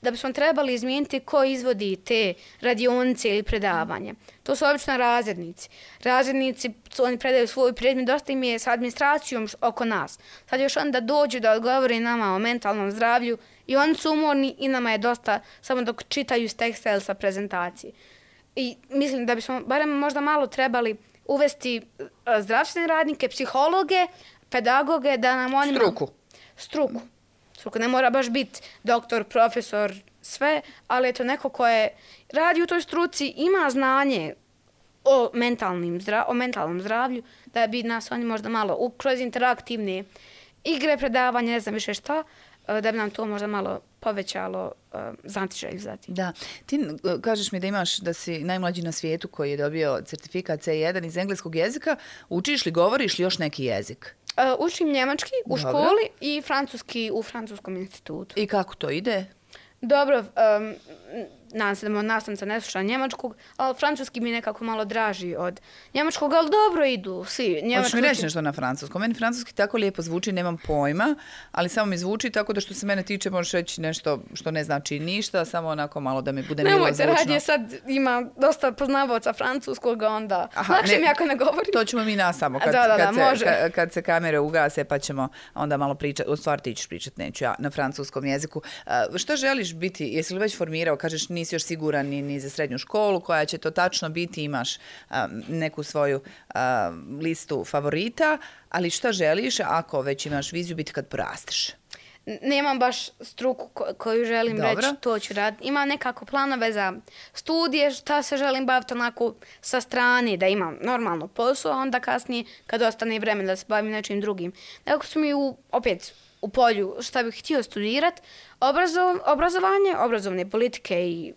da bismo trebali izmijeniti ko izvodi te radionice ili predavanje. To su obično razrednici. Razrednici, oni predaju svoj predmet, dosta im je s administracijom oko nas. Sad još onda dođu da odgovore nama o mentalnom zdravlju i oni su umorni i nama je dosta samo dok čitaju s teksta ili sa prezentacije. I mislim da bismo barem možda malo trebali uvesti zdravstvene radnike, psihologe, pedagoge, da nam oni... Struku. Ne mora baš biti doktor, profesor, sve, ali je to neko ko je radi u toj struci, ima znanje o mentalnom zdravlju, da bi nas oni možda malo kroz interaktivne igre, predavanja, ne znam više šta, da bi nam to možda malo povećalo znatiželju za tim. Da. Ti kažeš mi da si najmlađi na svijetu koji je dobio certifikat C1 iz engleskog jezika. Učiš li, govoriš li još neki jezik? Učim njemački u školi i francuski u francuskom institutu. I kako to ide? Dobro, nadam se da nastavnica ne sluša njemačkog, ali francuski mi nekako malo draži od njemačkog, ali dobro idu svi. Hoćeš mi reći nešto na francuskom? Meni francuski tako lijepo zvuči, nemam pojma, ali samo mi zvuči tako da što se mene tiče možeš reći nešto što ne znači ništa, samo onako malo da mi bude milo zvučno. Nemojte radije, sad ima dosta poznavaoca francuskog, onda lakše mi ako ne govorim. To ćemo mi nas samo kad se kamere ugase pa ćemo onda malo pričati, u stvari ti ćeš pričati, neću ja, na francuskom jeziku. Što želiš biti, jesi li već formirao, kažeš nisi još siguran ni za srednju školu, koja će to tačno biti, imaš neku svoju listu favorita, ali što želiš ako već imaš viziju biti kad porasteš? Nemam baš struku koju želim reći, to ću raditi. Imam nekako planove za studije, šta se želim baviti onako sa strane, da imam normalno posao, a onda kasnije kad ostane vremena da se bavim nečim drugim. Nekako su mi opet u polju šta bih htio studirati, obrazovne politike i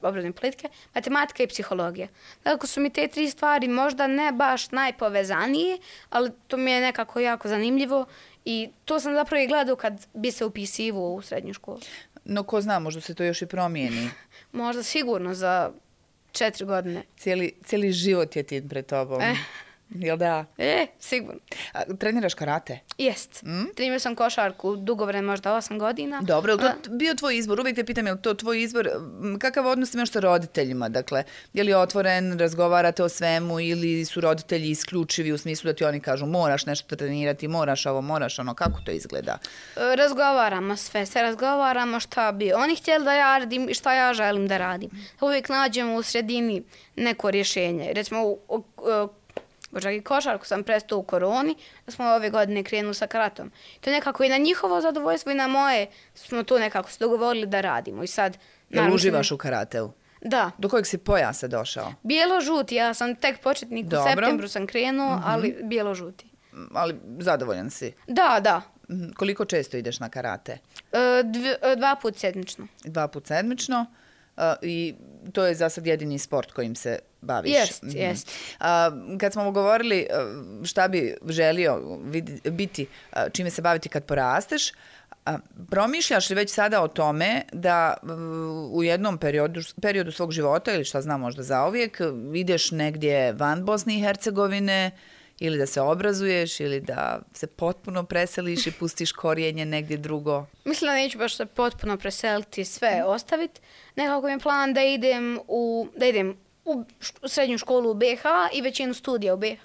obrazovne politike, matematika i psihologija. Dakle, su mi te 3 stvari možda ne baš najpovezanije, ali to mi je nekako jako zanimljivo i to sam zapravo i gledao kad bi se upisivao u srednju školu. No, ko zna, možda se to još i promijeni. Možda sigurno za 4 godine. Cijeli život je ti pred tobom. Jel da? Sigurno. Treniraš karate? Jest. Trenirao sam košarku dugo vreme, možda 8 godina. Dobro, je li to bio tvoj izbor? Uvijek te pitam, je li to tvoj izbor? Kakav odnos imaš sa roditeljima? Dakle, je li otvoren, razgovarate o svemu ili su roditelji isključivi u smislu da ti oni kažu moraš nešto trenirati, moraš ovo, moraš ono, kako to izgleda? Razgovaramo sve razgovaramo šta bi oni htjeli da ja radim i šta ja želim da radim. Uvijek nađemo u sredini neko rješenje. Recimo, čak i košarku sam prestao u koroni, da smo ove godine krenuli sa karatom. To nekako i na njihovo zadovoljstvo i na moje smo to nekako se dogovorili da radimo. I sad, jel uživaš u karateu? Da. Do kojeg si pojasa došao? Bijelo-žuti, ja sam tek početnik, u septembru sam krenuo, ali bijelo-žuti. Ali zadovoljan si? Da. Koliko često ideš na karate? 2 put sedmično. 2 put sedmično i to je za sad jedini sport kojim se baviš. Jest. Kad smo govorili šta bi želio biti, čime se baviti kad porasteš, promišljaš li već sada o tome da u jednom periodu svog života ili šta znam možda zauvijek ideš negdje van Bosne i Hercegovine ili da se obrazuješ ili da se potpuno preseliš i pustiš korijenje negdje drugo? Mislim da neću baš se potpuno preseliti i sve ostaviti. Nekako mi je plan da idem u srednju školu u BiH i većinu studija u BiH,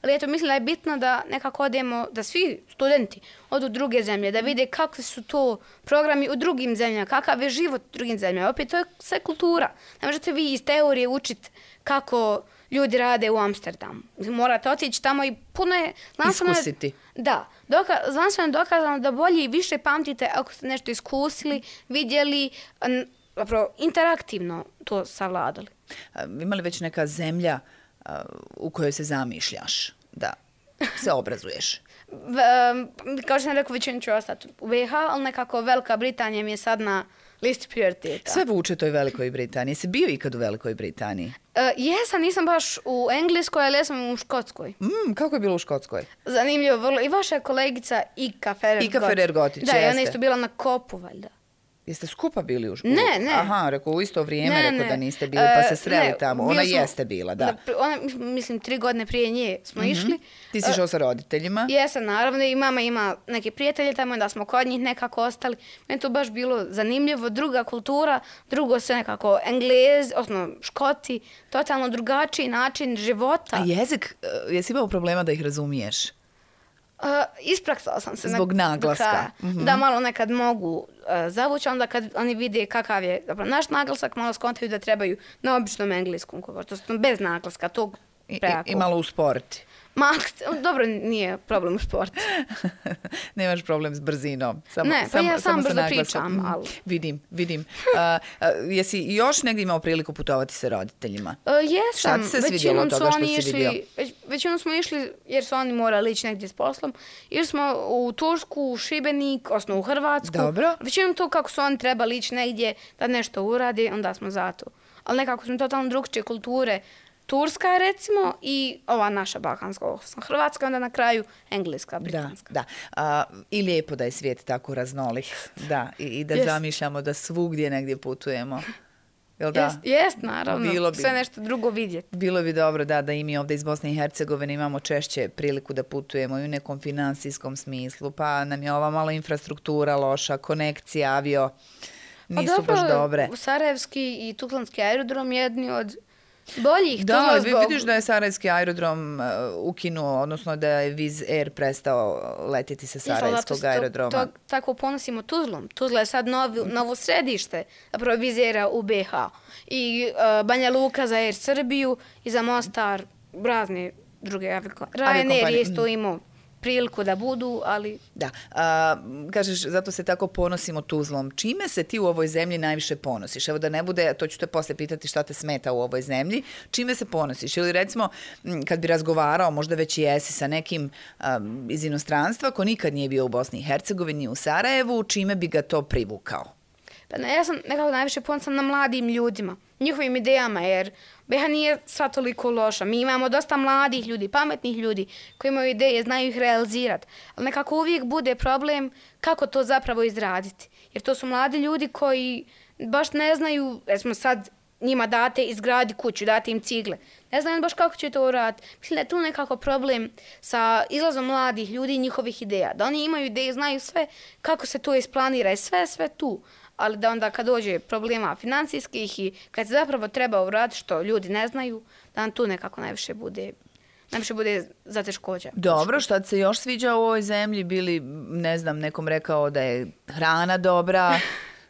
ali eto mislim da je bitno da nekako odemo, da svi studenti odu u druge zemlje, da vide kakvi su to programi u drugim zemljama, kakav je život u drugim zemljama. Opet to je sve kultura. Ne možete vi iz teorije učiti kako ljudi rade u Amsterdamu. Morate otići tamo i puno je... Iskusiti. Da. Znanstveno je dokazano da bolje i više pamtite ako ste nešto iskusili, vidjeli, zapravo interaktivno to savladali. Ima li već neka zemlja u kojoj se zamišljaš da se obrazuješ? Kao što sam rekao, većinu ću ostati u BiH, ali nekako Velika Britanija mi je sad na listi prioriteta. Sve vuče toj Velikoj Britaniji. Jesi bio ikad u Velikoj Britaniji? Jesam, nisam baš u Engleskoj, ali jesam u Škotskoj. Kako je bilo u Škotskoj? Zanimljivo, vrlo. I vaša kolegica Ika Ferrer-Gotić, da, i ona isto bila na kopu, valjda. Jeste skupa bili u Ne. Aha, rekao, u isto vrijeme, rekao da niste bili, pa se sreli tamo. Ona jeste bila, da. Mislim, 3 godine prije nje smo išli. Ti si šao sa roditeljima? Jesam, naravno, i mama ima neke prijatelje tamo, da smo kod njih nekako ostali. Meni to baš bilo zanimljivo, druga kultura, drugo sve nekako Englez, odnosno Škoti, totalno drugačiji način života. A jezik, jesi imao problema da ih razumiješ? Ispraksala sam se. Zbog naglaska. Da malo nekad mogu zavući, onda kad oni vide kakav je naš naglasak, malo skontaju da trebaju na običnom engleskom govoru. To su bez naglaska, tog prejako. I malo usporiti. Dobro, nije problem u sportu. Nemaš problem s brzinom. Ja sam brzo pričam. Ali... Vidim. Jesi još negdje imao priliku putovati sa roditeljima? Jesam. Šta ti se svidjelo od toga što si vidio? Većinom smo išli jer su oni morali ići negdje s poslom. Išli smo u Tursku, u Šibenik, osnovno u Hrvatsku. Dobro. Većinom to kako su oni trebali ići negdje da nešto uradi, onda smo zato. Ali nekako smo totalno drugčije kulture. Turska recimo i ova naša balkanska, Hrvatska, onda na kraju engleska, britanska. Da. I lijepo da je svijet tako raznolik. Da, i da zamišljamo da svugdje negdje putujemo. Jel da? Jest, naravno. Sve nešto drugo vidjeti. Bilo bi dobro da i mi ovdje iz Bosne i Hercegovine imamo češće priliku da putujemo i u nekom financijskom smislu, pa nam je ova malo infrastruktura loša, konekcija, avio nisu baš dobre. Sarajevski i Tuzlanski aerodrom jedni od boljih. Da, vidiš da je Sarajevski aerodrom ukinuo, odnosno da je Wizz Air prestao letjeti sa Sarajevskog aerodroma. Tako ponosimo Tuzlom. Tuzla je sad novo središte zapravo Wizz Aira u BiH. I Banja Luka za Air Srbiju i za Mostar razne druge Ryanair je isto imao priliku da budu, ali... Da, kažeš, zato se tako ponosimo Tuzlom. Čime se ti u ovoj zemlji najviše ponosiš? Evo da ne bude, to ću te poslije pitati šta te smeta u ovoj zemlji. Čime se ponosiš? Ili recimo, kad bi razgovarao, možda već i jesi sa nekim iz inostranstva, ko nikad nije bio u Bosni i Hercegovini, u Sarajevu, čime bi ga to privukao? Pa ja sam nekako najviše ponosan na mladim ljudima, njihovim idejama, jer BiH nije sva toliko loša. Mi imamo dosta mladih ljudi, pametnih ljudi koji imaju ideje, znaju ih realizirati. Ali nekako uvijek bude problem kako to zapravo izraditi. Jer to su mladi ljudi koji baš ne znaju, recimo sad njima date izgradi kuću, date im cigle. Ne znam baš kako će to uraditi. Mislim da je tu nekako problem sa izlazom mladih ljudi i njihovih ideja. Da oni imaju ideje, znaju sve kako se to isplanira i sve tu. Ali da onda kad dođe problema financijskih i kad se zapravo treba uraditi što ljudi ne znaju, da nam tu nekako najviše bude zateškoća. Dobro, šta ti se još sviđa u ovoj zemlji? Bili, ne znam, nekom rekao da je hrana dobra,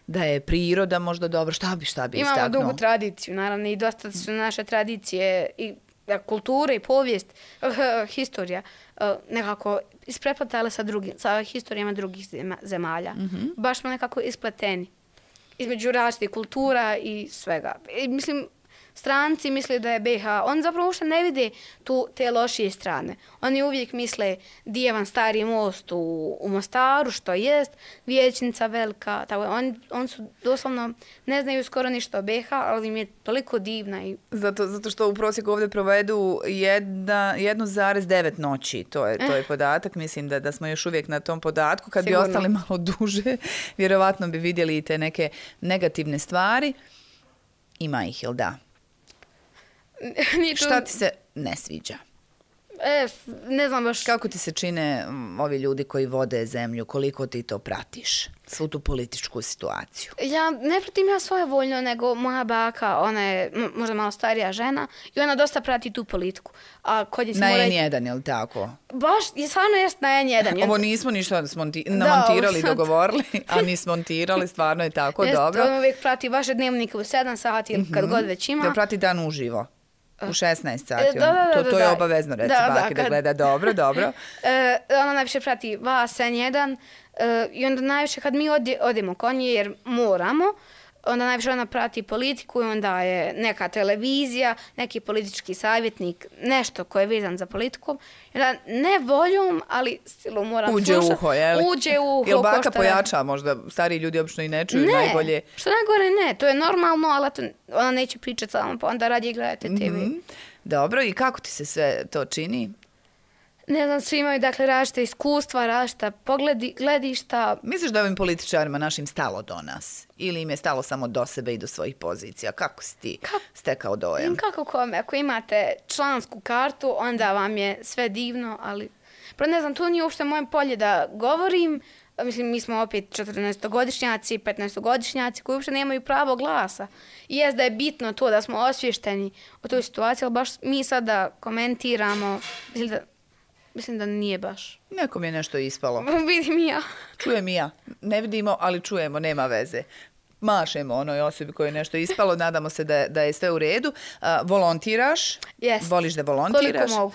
da je priroda možda dobra, šta bi istaknuo? Imamo dugu tradiciju, naravno, i dosta su naše tradicije i kulture i povijest, historija, nekako ispreplatale sa historijama drugih zemalja. Baš smo nekako ispleteni između različitih kultura i svega. I, mislim, stranci misle da je BiH, oni zapravo uopšte ne vide te lošije strane. Oni uvijek misle dijevan stari most u Mostaru, što jest, vijećnica velika, tako oni su doslovno, ne znaju skoro ništa o BiH, ali im je toliko divna. Zato što u prosjeku ovdje provedu 1,9 noći, to je podatak, mislim da smo još uvijek na tom podatku. Kad Sigurno. bi ostali malo duže, vjerovatno bi vidjeli i te neke negativne stvari. Ima ih, jel da? Šta ti se ne sviđa? Ne znam baš. Kako ti se čine ovi ljudi koji vode zemlju? Koliko ti to pratiš? Svu tu političku situaciju. Ja ne pratim ja svojevoljno, nego moja baka, ona je možda malo starija žena i ona dosta prati tu politiku. A kod je na N1, je li tako? Baš, stvarno jest na N1. Ovo nismo ništa namontirali, dogovorili, a ni smontirali, stvarno je tako, dobro. On uvijek prati vaše dnevnike u 7 sati ili kad god već ima. Da prati dan uživo. U 16 sati. To je obavezno, reci baki da gleda. Dobro. Ona najviše prati vas, N1, i onda najviše kad mi odemo konje, jer moramo, onda najviše ona prati politiku i onda je neka televizija, neki politički savjetnik, nešto koje je vezan za politiku. Ne voljom, ali stilu moram slušati. Uđe u uho, jel? Uđe u uho. Jel baka pojača možda? Stariji ljudi obično i ne čuju najbolje. Što najgore ne, to je normalno, ali ona neće pričati samo, pa onda radije gledate TV. Dobro, i kako ti se sve to čini? Ne znam, svi imaju dakle različite iskustva, različita gledišta. Misliš da je ovim političarima našim stalo do nas? Ili im je stalo samo do sebe i do svojih pozicija? Kako si ti stekao dojam? Kako kome? Ako imate člansku kartu, onda vam je sve divno, ali... Ne znam, to nije uopšte moje polje da govorim. Mislim, mi smo opet 14-godišnjaci, 15-godišnjaci koji uopšte nemaju pravo glasa. I jest da je bitno to da smo osvješteni o toj situaciji, ali baš mi sad da komentiramo, mislim da nije baš. Nekom je nešto ispalo. Vidim i ja. Čujem i ja. Ne vidimo, ali čujemo, nema veze. Mašemo onoj osobi koji je nešto ispalo, nadamo se da je sve u redu. Volontiraš? Jest. Voliš da volontiraš? Koliko mogu.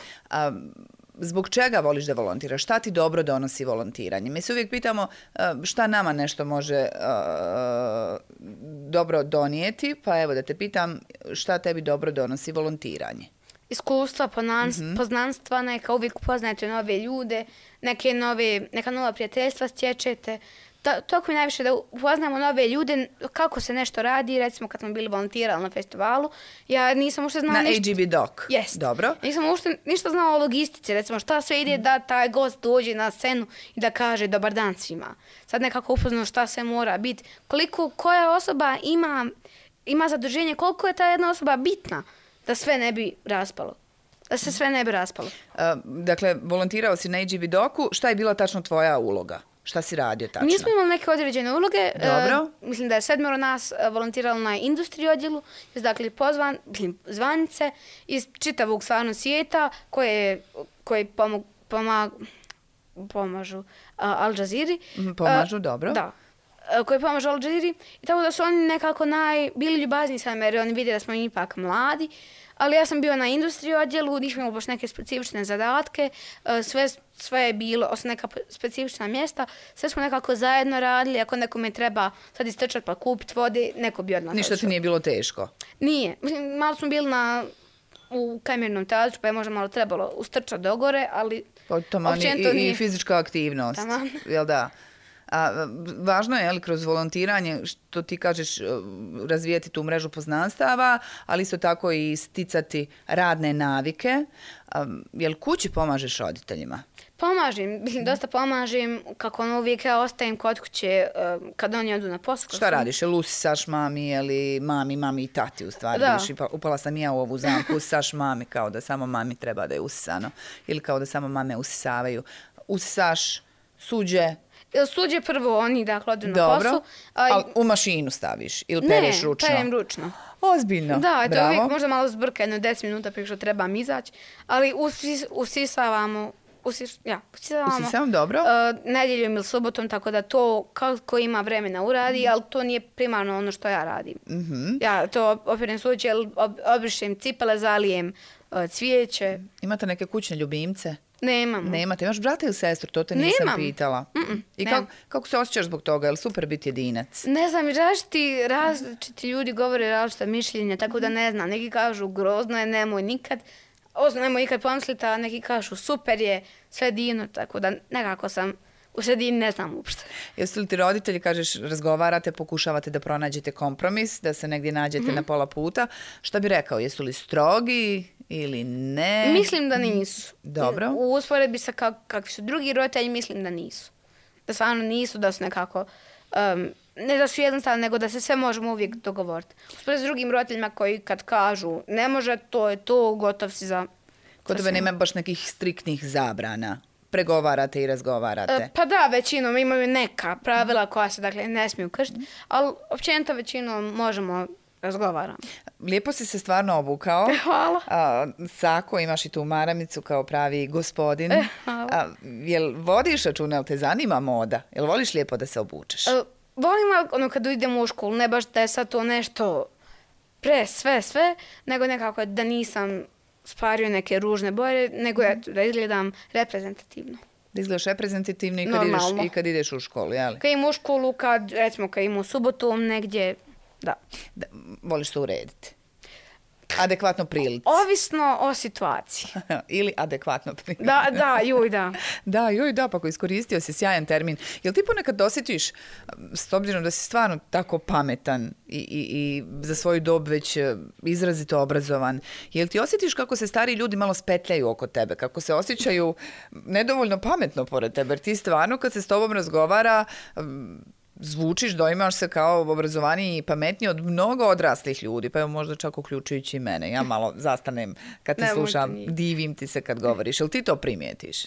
Zbog čega voliš da volontiraš? Šta ti dobro donosi volontiranje? Mi se uvijek pitamo šta nama nešto može dobro donijeti, pa evo da te pitam šta tebi dobro donosi volontiranje? Iskustva, poznanstva, neka uvijek upoznajete nove ljude, neka nova prijateljstva stječete. Toliko mi najviše da upoznamo nove ljude, kako se nešto radi, recimo kad smo bili volontirali na festivalu, ja nisam uopšte znala ništa. Na AGB Doc? Jest. Dobro. Nisam uopšte ništa znala o logistici, recimo šta sve ide da taj gost dođe na scenu i da kaže dobar dan svima. Sad nekako upoznao šta sve mora biti, koja osoba ima zaduženje, koliko je ta jedna osoba bitna da sve ne bi raspalo. Da se sve ne bi raspalo. Dakle, volontirao si na AGB Docu, šta je bila tačno tvoja uloga? Šta si radio tačno? Mi smo imali neke određene uloge. Dobro. Mislim da je 7 nas volontiralo na industriji odjelu. Dakle, zvanice iz čitavog stvarno svijeta koji pomažu Al Jazeera. Pomažu, dobro. Da. Koji pomažu Al Jazeera. I tako da su oni nekako bili ljubazni sa jer oni vide da smo ipak mladi. Ali ja sam bio na industriji odjelu, nismo imali baš neke specifične zadatke, sve je bilo, osim neka specifična mjesta, sve smo nekako zajedno radili, ako nekome treba sad istrčati pa kupiti vode, neko bi odmah. Ništa ti nije bilo teško? Nije. Mislim, malo smo bili u kamernom teatru, pa je možda malo trebalo ustrčati do gore, ali i fizička aktivnost, jel da? Važno je, ali kroz volontiranje, što ti kažeš, razvijati tu mrežu poznanstava, ali isto tako i sticati radne navike. Jel kući pomažeš roditeljima? Pomažem, dosta pomažem, kako uvijek ja ostajem kod kuće kad oni odu na posao. Šta radiš? Jel usisaš mami, ili mami i tati u stvari? Da. Upala sam ja u ovu zamku, usisaš mami kao da samo mami treba da je usisano. Ili kao da samo mame usisavaju. Usisaš suđe. Suđe prvo, oni dakle odu na posao. Dobro, ali u mašinu staviš ili pereš ručno? Ne, perem ručno. Ozbiljno, da, bravo. Uvijek možda malo zbrka, 10 minuta prije što trebam izaći, ali usisavamo. Usisam, dobro. Nedjeljom ili subotom, tako da to kako ima vremena uradi, ali to nije primarno ono što ja radim. Ja to operem suđe, obrišem cipele, zalijem cvijeće. Imate neke kućne ljubimce? Nemamo. Nemate. Imaš brata ili sestru? To te nisam pitala. I kako se osjećaš zbog toga? Je li super biti jedinac? Ne znam, različiti ljudi govore različita mišljenja, tako da ne znam. Neki kažu grozno je, nemoj nikad. Nemoj nikad pomisliti, a neki kažu super je, sve divno, tako da nekako sam u sredini, ne znam uopšte. Jesu li ti roditelji, kažeš, razgovarate, pokušavate da pronađete kompromis, da se negdje nađete na pola puta? Šta bi rekao, jesu li strogi ili ne? Mislim da nisu. Dobro. U usporedbi sa kakvi su drugi roditelji, mislim da nisu. Da stvarno nisu, da su nekako, ne da su jednostavno, nego da se sve možemo uvijek dogovoriti. Usporedbi s drugim roditeljima koji kad kažu ne može, to je to, gotov si za... Kod tebe nema baš nekih striktnih zabrana. Pregovarate i razgovarate. Pa da, većinom imaju neka pravila koja se dakle ne smiju kršiti, ali općenito većinom možemo razgovarati. Lijepo si se stvarno obukao. Hvala. Sako, imaš i tu maramicu kao pravi gospodin. Hvala. Jel vodiš računa, jel te zanima moda? Jel voliš lijepo da se obučeš? Volim ono kad idemo u školu, ne baš da je sad to nešto sve, nego nekako da nisam spario neke ružne boje, nego da izgledam reprezentativno. Da izgledaš reprezentativno i kad ideš u školu, jel? Kad idem u školu, recimo kad idem u subotu negdje, da. Voliš se urediti? Adekvatno prilici. Ovisno o situaciji. Ili adekvatno prilici. Da. Da, pa ko iskoristio si sjajan termin. Jel ti ponekad osjetiš, s obzirom da si stvarno tako pametan i za svoju dob već izrazito obrazovan, jel ti osjetiš kako se stari ljudi malo spetljaju oko tebe, kako se osjećaju nedovoljno pametno pored tebe, jer ti stvarno kad se s tobom razgovara zvučiš, doimaš se kao obrazovaniji i pametniji od mnogo odraslih ljudi, pa evo možda čak uključujući i mene. Ja malo zastanem kad te slušam, divim ti se kad govoriš. Jel ti to primijetiš?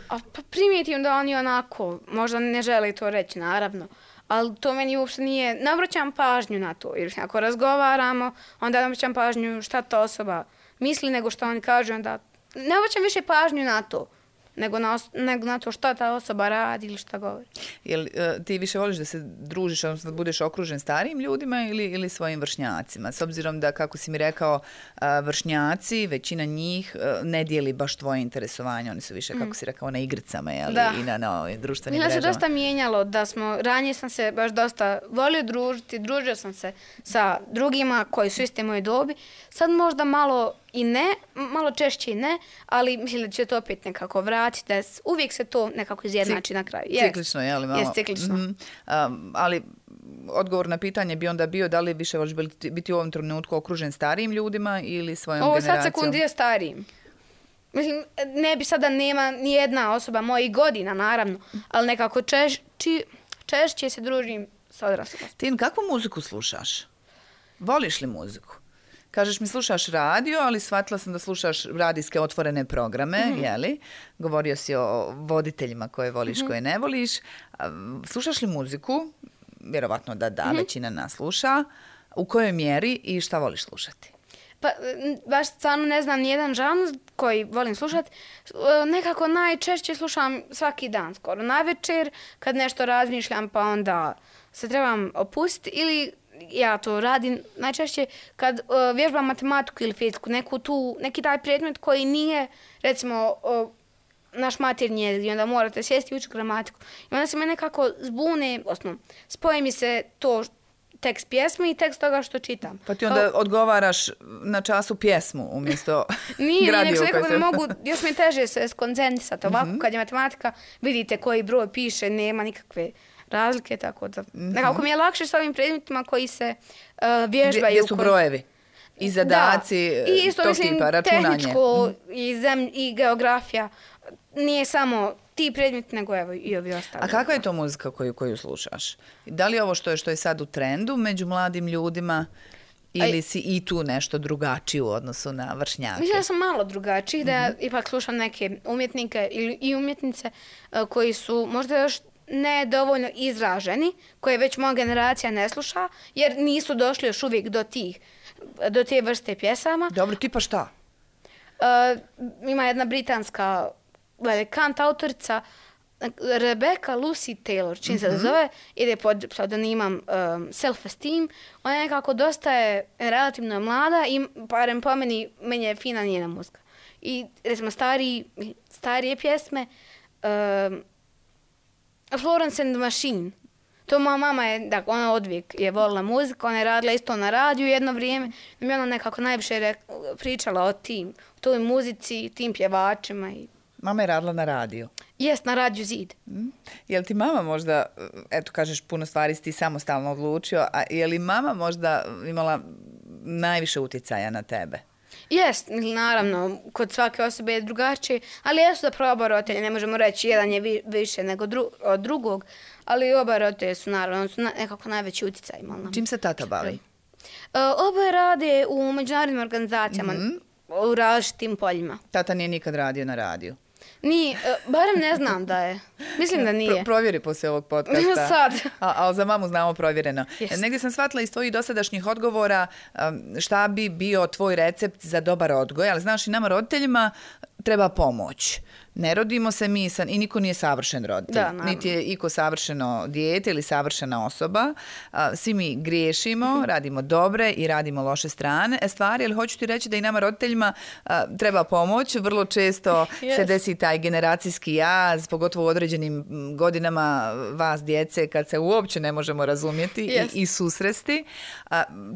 Pa primijetim da oni onako, možda ne žele to reći, naravno, ali to meni uopšte nije, ne obraćam pažnju na to, jer ako razgovaramo, onda ne obraćam pažnju šta ta osoba misli, nego što oni kažu, onda ne obraćam više pažnju na to, nego na to šta ta osoba radi ili šta govori. Jel ti više voliš da se družiš, odnosno da budeš okružen starijim ljudima ili svojim vršnjacima? S obzirom da, kako si mi rekao, vršnjaci, većina njih ne dijeli baš tvoje interesovanje. Oni su više, kako si rekao, na igricama, jel? I na društvenim mrežama. Mila se dosta mijenjalo, ranije sam se baš dosta volio družio sam se sa drugima koji su iste moje dobi. Sad možda malo i ne, malo češće i ne, ali mislim da će to opet nekako vratiti, da uvijek se to nekako izjednači na kraju. Ciklično, je li malo? Jest, ciklično. Ali odgovor na pitanje bi onda bio da li više voliš biti u ovom trenutku okružen starijim ljudima ili svojom generacijom? Ovo sad sekundi je starijim. Mislim, ne bi sada nema ni jedna osoba mojih godina, naravno, ali nekako češće se družim sa odraslima. Tin, kakvu muziku slušaš? Voliš li muziku? Kažeš mi slušaš radio, ali shvatila sam da slušaš radijske otvorene programe, jeli? Govorio si o voditeljima koje voliš, koje ne voliš. Slušaš li muziku? Vjerovatno da, većina nas sluša. U kojoj mjeri i šta voliš slušati? Pa, baš stvarno ne znam nijedan žanr koji volim slušati. Nekako najčešće slušam svaki dan, skoro navečer, kad nešto razmišljam, pa onda se trebam opustiti ili ja to radim najčešće kad vježbam matematiku ili fiziku, neki taj predmet koji nije, recimo, naš maternji jezik i onda morate sjesti i učiti gramatiku. I onda se me nekako zbune, spoji mi se to tekst pjesme i tekst toga što čitam. Pa ti onda odgovaraš na času pjesmu umjesto Nije, nek se nekako ne mogu, još mi je teže se skoncentrisati. Ovako kad je matematika, vidite koji broj piše, nema nikakve razlike, tako da nekako mi je lakše s ovim predmetima koji se vježbaju. Gdje su brojevi i zadaci i isto, tog tipa, računanje. Tehničko i geografija. Nije samo ti predmeti, nego evo i ovi ostali. A kakva je to muzika koju slušaš? Da li je ovo što je sad u trendu među mladim ljudima ili si i tu nešto drugačiji u odnosu na vršnjake? Mislim da sam malo drugačiji, da ipak slušam neke umjetnike i umjetnice koji su možda još ne dovoljno izraženi, koje već moja generacija ne sluša, jer nisu došli još uvijek do te vrste pjesama. Dobro, tipa šta? Ima jedna britanska kant autorica Rebecca Lucy Taylor, čim se zove, ide pod pseudonimom Self-Esteem. Ona je nekako dosta relativno mlada i barem po meni je fina njena muzika. I recimo starije pjesme Florence and the Machine. To moja mama ona odvijek je volila muziku, ona je radila isto na radiju jedno vrijeme. I mi ona nekako najviše pričala o toj muzici, tim pjevačima. Mama je radila na radiju? Jest, na radiju Zid. Je li ti mama možda, eto kažeš puno stvari si ti samostalno odlučio, a je li mama možda imala najviše utjecaja na tebe? Jest, naravno, kod svake osobe je drugačije, ali jesu da oba roditelja, ne možemo reći jedan je više nego od drugog, ali oba roditelja su naravno nekako najveći utjecaj imali. Čim se tata bavi? Oboje rade u međunarodnim organizacijama, u različitim poljima. Tata nije nikad radio na radiju? Nije, barem ne znam da je. Mislim da nije. Provjeri poslije ovog podcasta. Sad. Ali za mamu znamo provjereno. Negdje sam shvatila iz tvojih dosadašnjih odgovora šta bi bio tvoj recept za dobar odgoj, ali znaš i nama roditeljima treba pomoć. Ne rodimo se mi i niko nije savršen roditelj. Niti je iko savršeno dijete ili savršena osoba. Svi mi griješimo, radimo dobre i radimo loše stvari, ali hoću ti reći da i nama roditeljima treba pomoć. Vrlo često se desi taj generacijski jaz, pogotovo u određenim godinama vas djece kad se uopće ne možemo razumjeti i susresti.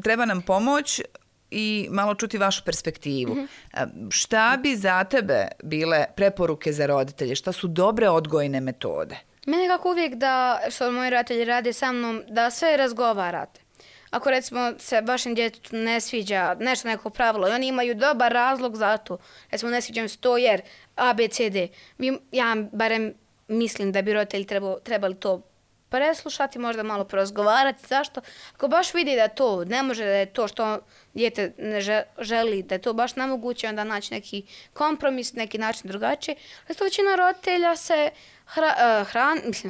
Treba nam pomoć i malo čuti vašu perspektivu. Šta bi za tebe bile preporuke za roditelje? Šta su dobre odgojne metode? Mene kako uvijek što moji roditelji rade sa mnom, da sve razgovarate. Ako recimo se vašem djetetu ne sviđa neko pravilo i oni imaju dobar razlog za to, recimo ne sviđa mi se to jer ABCD, ja barem mislim da bi roditelji trebali to preslušati, možda malo porazgovarati. Zašto? Ako baš vidi da to ne može, da je to što dijete ne želi, da je to baš nemoguće, onda naći neki kompromis, neki način drugačije. Ali to većina roditelja se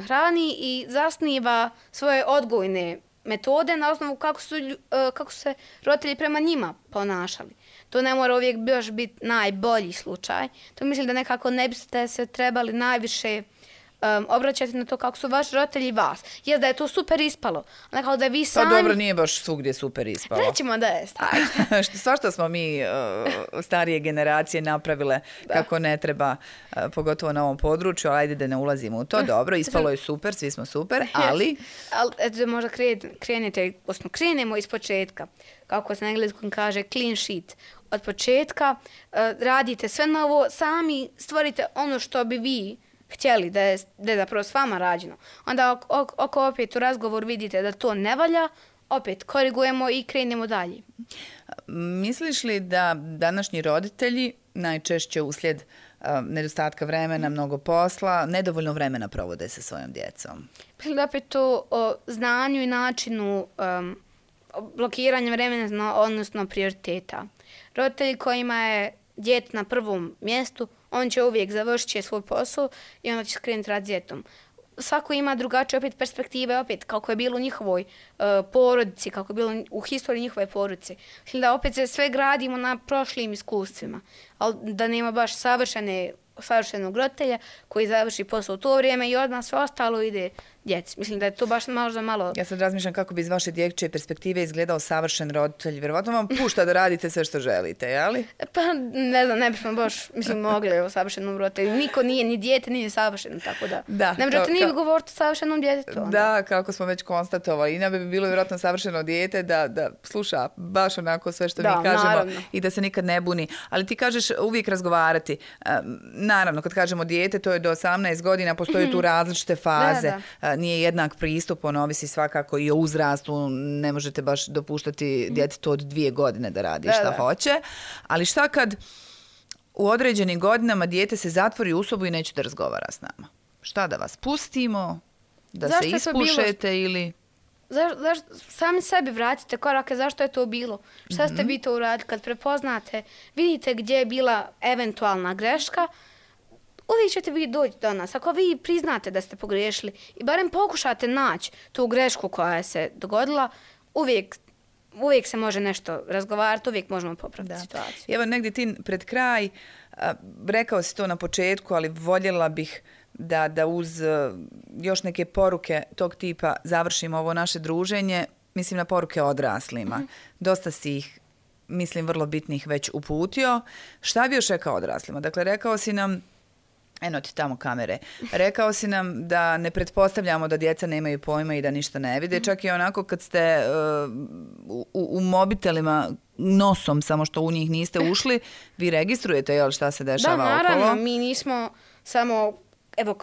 hrani i zasniva svoje odgojne metode na osnovu kako se roditelji prema njima ponašali. To ne mora uvijek baš biti najbolji slučaj. To mislim da nekako ne biste se trebali najviše obraćati na to kako su vaši roditelji vas. Jer da je to super ispalo. Nekako da vi sami... Pa dobro, nije baš svugdje super ispalo. Rećemo da je. Svašta smo mi starije generacije napravile kako ne treba, pogotovo na ovom području, ali ajde da ne ulazimo u to. Dobro, ispalo je super, svi smo super, ali... Ali možda krenemo iz početka. Kako se na engleskom kaže, clean sheet. Od početka radite sve novo, sami stvorite ono što bi vi htjeli da je zapravo s vama rađeno. Onda ako opet u razgovor vidite da to ne valja, opet korigujemo i krenemo dalje. Misliš li da današnji roditelji najčešće uslijed nedostatka vremena, mnogo posla, nedovoljno vremena provode sa svojom djecom? Mislim da opet to o znanju i načinu blokiranja vremena, odnosno prioriteta. Roditelji kojima je dijete na prvom mjestu, on će uvijek završiti svoj posao i onda će krenuti rad s djetom. Svako ima drugačije opet perspektive, opet kako je bilo u njihovoj porodici, kako je bilo u historiji njihove porodice. Da opet se sve gradimo na prošlim iskustvima, ali da nema baš savršenog roditelja koji završi posao u to vrijeme i odmah sve ostalo ide djeci. Mislim da je to baš možda malo... Ja sad razmišljam kako bi iz vaše dječje perspektive izgledao savršen roditelj. Vjerovatno vam pušta da radite sve što želite, jeli? Pa ne znam, ne bismo baš mogli o savršenom roditelju. Niko nije, ni dijete nije savršeno, tako da. Ne možete ni govoriti o savršenom djetetu. Da, kako smo već konstatovali. Ina bi bilo vjerojatno savršeno dijete da sluša baš onako sve što mi kažemo naravno. I da se nikad ne buni. Ali ti kažeš uvijek razgovarati. Naravno, kad kažemo dijete, to je do 18 godina, postoje tu različite faze. nije jednak pristup, on ovisi svakako i o uzrastu, ne možete baš dopuštati djetetu od 2 godine da radi šta hoće, ali šta kad u određenim godinama dijete se zatvori u sobu i neće da razgovara s nama? Šta da vas pustimo, da se ispušete ili... Sami sebi vratite korake, zašto je to bilo? Šta ste vi to uradili? Kad prepoznate, vidite gdje je bila eventualna greška, uvijek ćete vi doći do nas. Ako vi priznate da ste pogriješili i barem pokušate naći tu grešku koja se dogodila, uvijek se može nešto razgovarati, uvijek možemo popraviti situaciju. Evo negdje ti pred kraj, rekao si to na početku, ali voljela bih da uz još neke poruke tog tipa završimo ovo naše druženje, mislim na poruke odraslima. Dosta si ih, mislim, vrlo bitnih već uputio. Šta bi još rekao odraslima? Dakle, rekao si nam, eno ti tamo kamere, rekao si nam da ne pretpostavljamo da djeca nemaju pojma i da ništa ne vide. Čak i onako kad ste u mobitelima nosom, samo što u njih niste ušli, vi registrujete jel, šta se dešava okolo? Da, naravno, mi nismo samo evo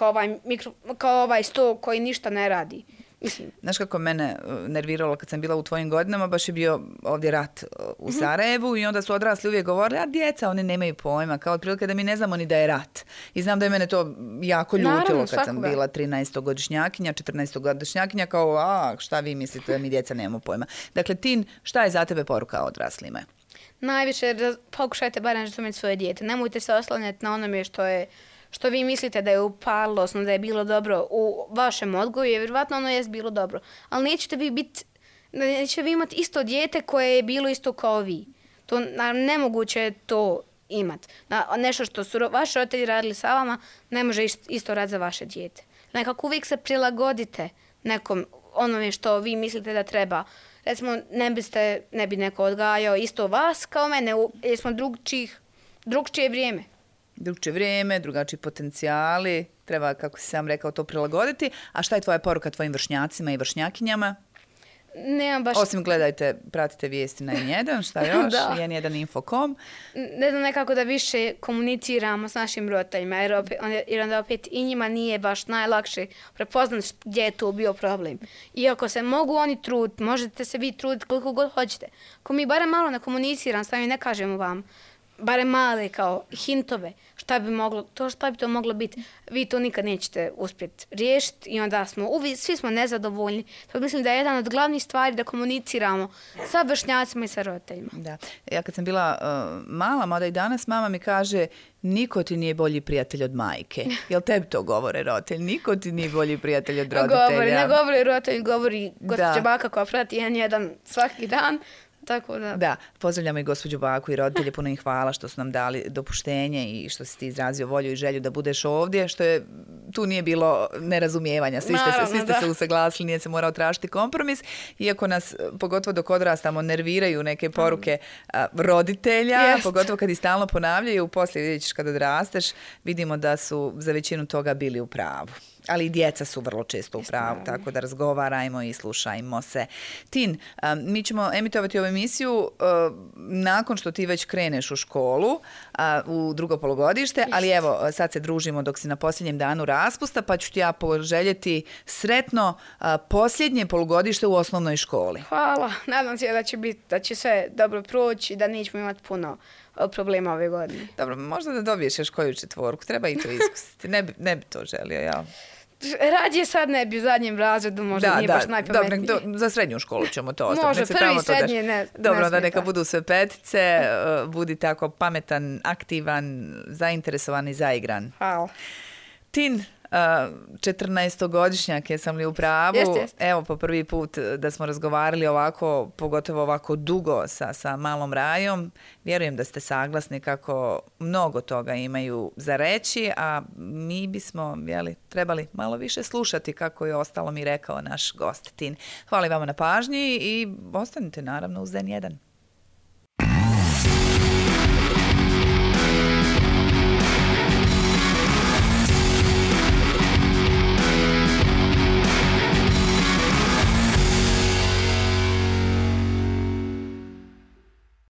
kao ovaj sto koji ništa ne radi. Mislim. Znaš kako mene nerviralo kad sam bila u tvojim godinama, baš je bio ovdje rat u Sarajevu i onda su odrasli uvijek govorili, a djeca, oni nemaju pojma, kao otprilike da mi ne znamo ni da je rat. I znam da je mene to jako ljutilo kad sam bila 13-godišnjakinja, 14-godišnjakinja, kao, šta vi mislite da mi djeca nemamo pojma. Dakle, Tin, šta je za tebe poruka odraslima? Najviše pokušajte barem razumjeti svoje dijete. Nemojte se oslanjati na onome što vi mislite da je upalilo, odnosno da je bilo dobro u vašem odgoju, jer vjerovatno ono jest bilo dobro. Ali nećete vi imati isto dijete koje je bilo isto kao vi. To nemoguće je to imati. Nešto što su vaši roditelji radili sa vama, ne može isto raditi za vaše dijete. Nekako uvijek se prilagodite nekom onome što vi mislite da treba. Recimo, ne bi neko odgajao isto vas kao mene, jer smo drugčije vrijeme. Drugčije vrijeme, drugačiji potencijali, treba, kako si sam rekao, to prilagoditi. A šta je tvoja poruka tvojim vršnjacima i vršnjakinjama? Nemam baš... Osim gledajte, pratite vijesti na N1, šta još? N1 Infocom. Ne znam, nekako da više komuniciramo s našim roditeljima, jer onda opet i njima nije baš najlakše prepoznati gdje je tu bio problem. Iako se mogu oni truditi, možete se vi truditi koliko god hoćete. Ako mi barem malo ne komuniciramo, s vami ne kažemo vam, barem male kao hintove, šta bi to moglo biti, vi to nikad nećete uspjeti riješiti i onda svi smo nezadovoljni. To mislim da je jedan od glavnih stvari da komuniciramo sa vršnjacima i sa roditeljima. Da. Ja kad sam bila mala, mada i danas, mama mi kaže niko ti nije bolji prijatelj od majke. Jel tebi to govore roditelj? Niko ti nije bolji prijatelj od roditelja? Ne govori roditelj, govori gospođa baka koja prati N1 svaki dan. Tako da. Da, pozdravljamo i gospođu baku i roditelje, puno im hvala što su nam dali dopuštenje i što si ti izrazio volju i želju da budeš ovdje, što je, tu nije bilo nerazumijevanja, svi ste se usaglasili, nije se morao tražiti kompromis, iako nas, pogotovo dok odrastamo, nerviraju neke poruke roditelja, pogotovo kad ih stalno ponavljaju, poslije vidjet ćeš kad odrasteš, vidimo da su za većinu toga bili u pravu. Ali i djeca su vrlo često u pravu, tako da razgovarajmo i slušajmo se. Tin, mi ćemo emitovati ovu emisiju nakon što ti već kreneš u školu, u drugo polugodište, ali evo, sad se družimo dok si na posljednjem danu raspusta, pa ću ti ja poželjeti sretno posljednje polugodište u osnovnoj školi. Hvala, nadam se da će sve dobro proći i da nećemo imati puno problema ove godine. Dobro, možda da dobiješ još koju četvorku, treba i to iskusiti, ne bi to želio, ja. Radije sad ne bi u zadnjem razredu, možda nije baš najpametnije. Dobro, za srednju školu ćemo to ostaviti. Može, prvi i srednje ne Dobro, da neka budu sve petice, budi tako pametan, aktivan, zainteresovan i zaigran. Hvala. Tin, 14-godišnjak, jesam li u pravu? Jest. Evo, po prvi put da smo razgovarali ovako, pogotovo ovako dugo sa malom Rajom. Vjerujem da ste saglasni kako mnogo toga imaju za reći, a mi bismo trebali malo više slušati, kako je ostalo mi rekao naš gost Tin. Hvala vama na pažnji i ostanite naravno uz N1.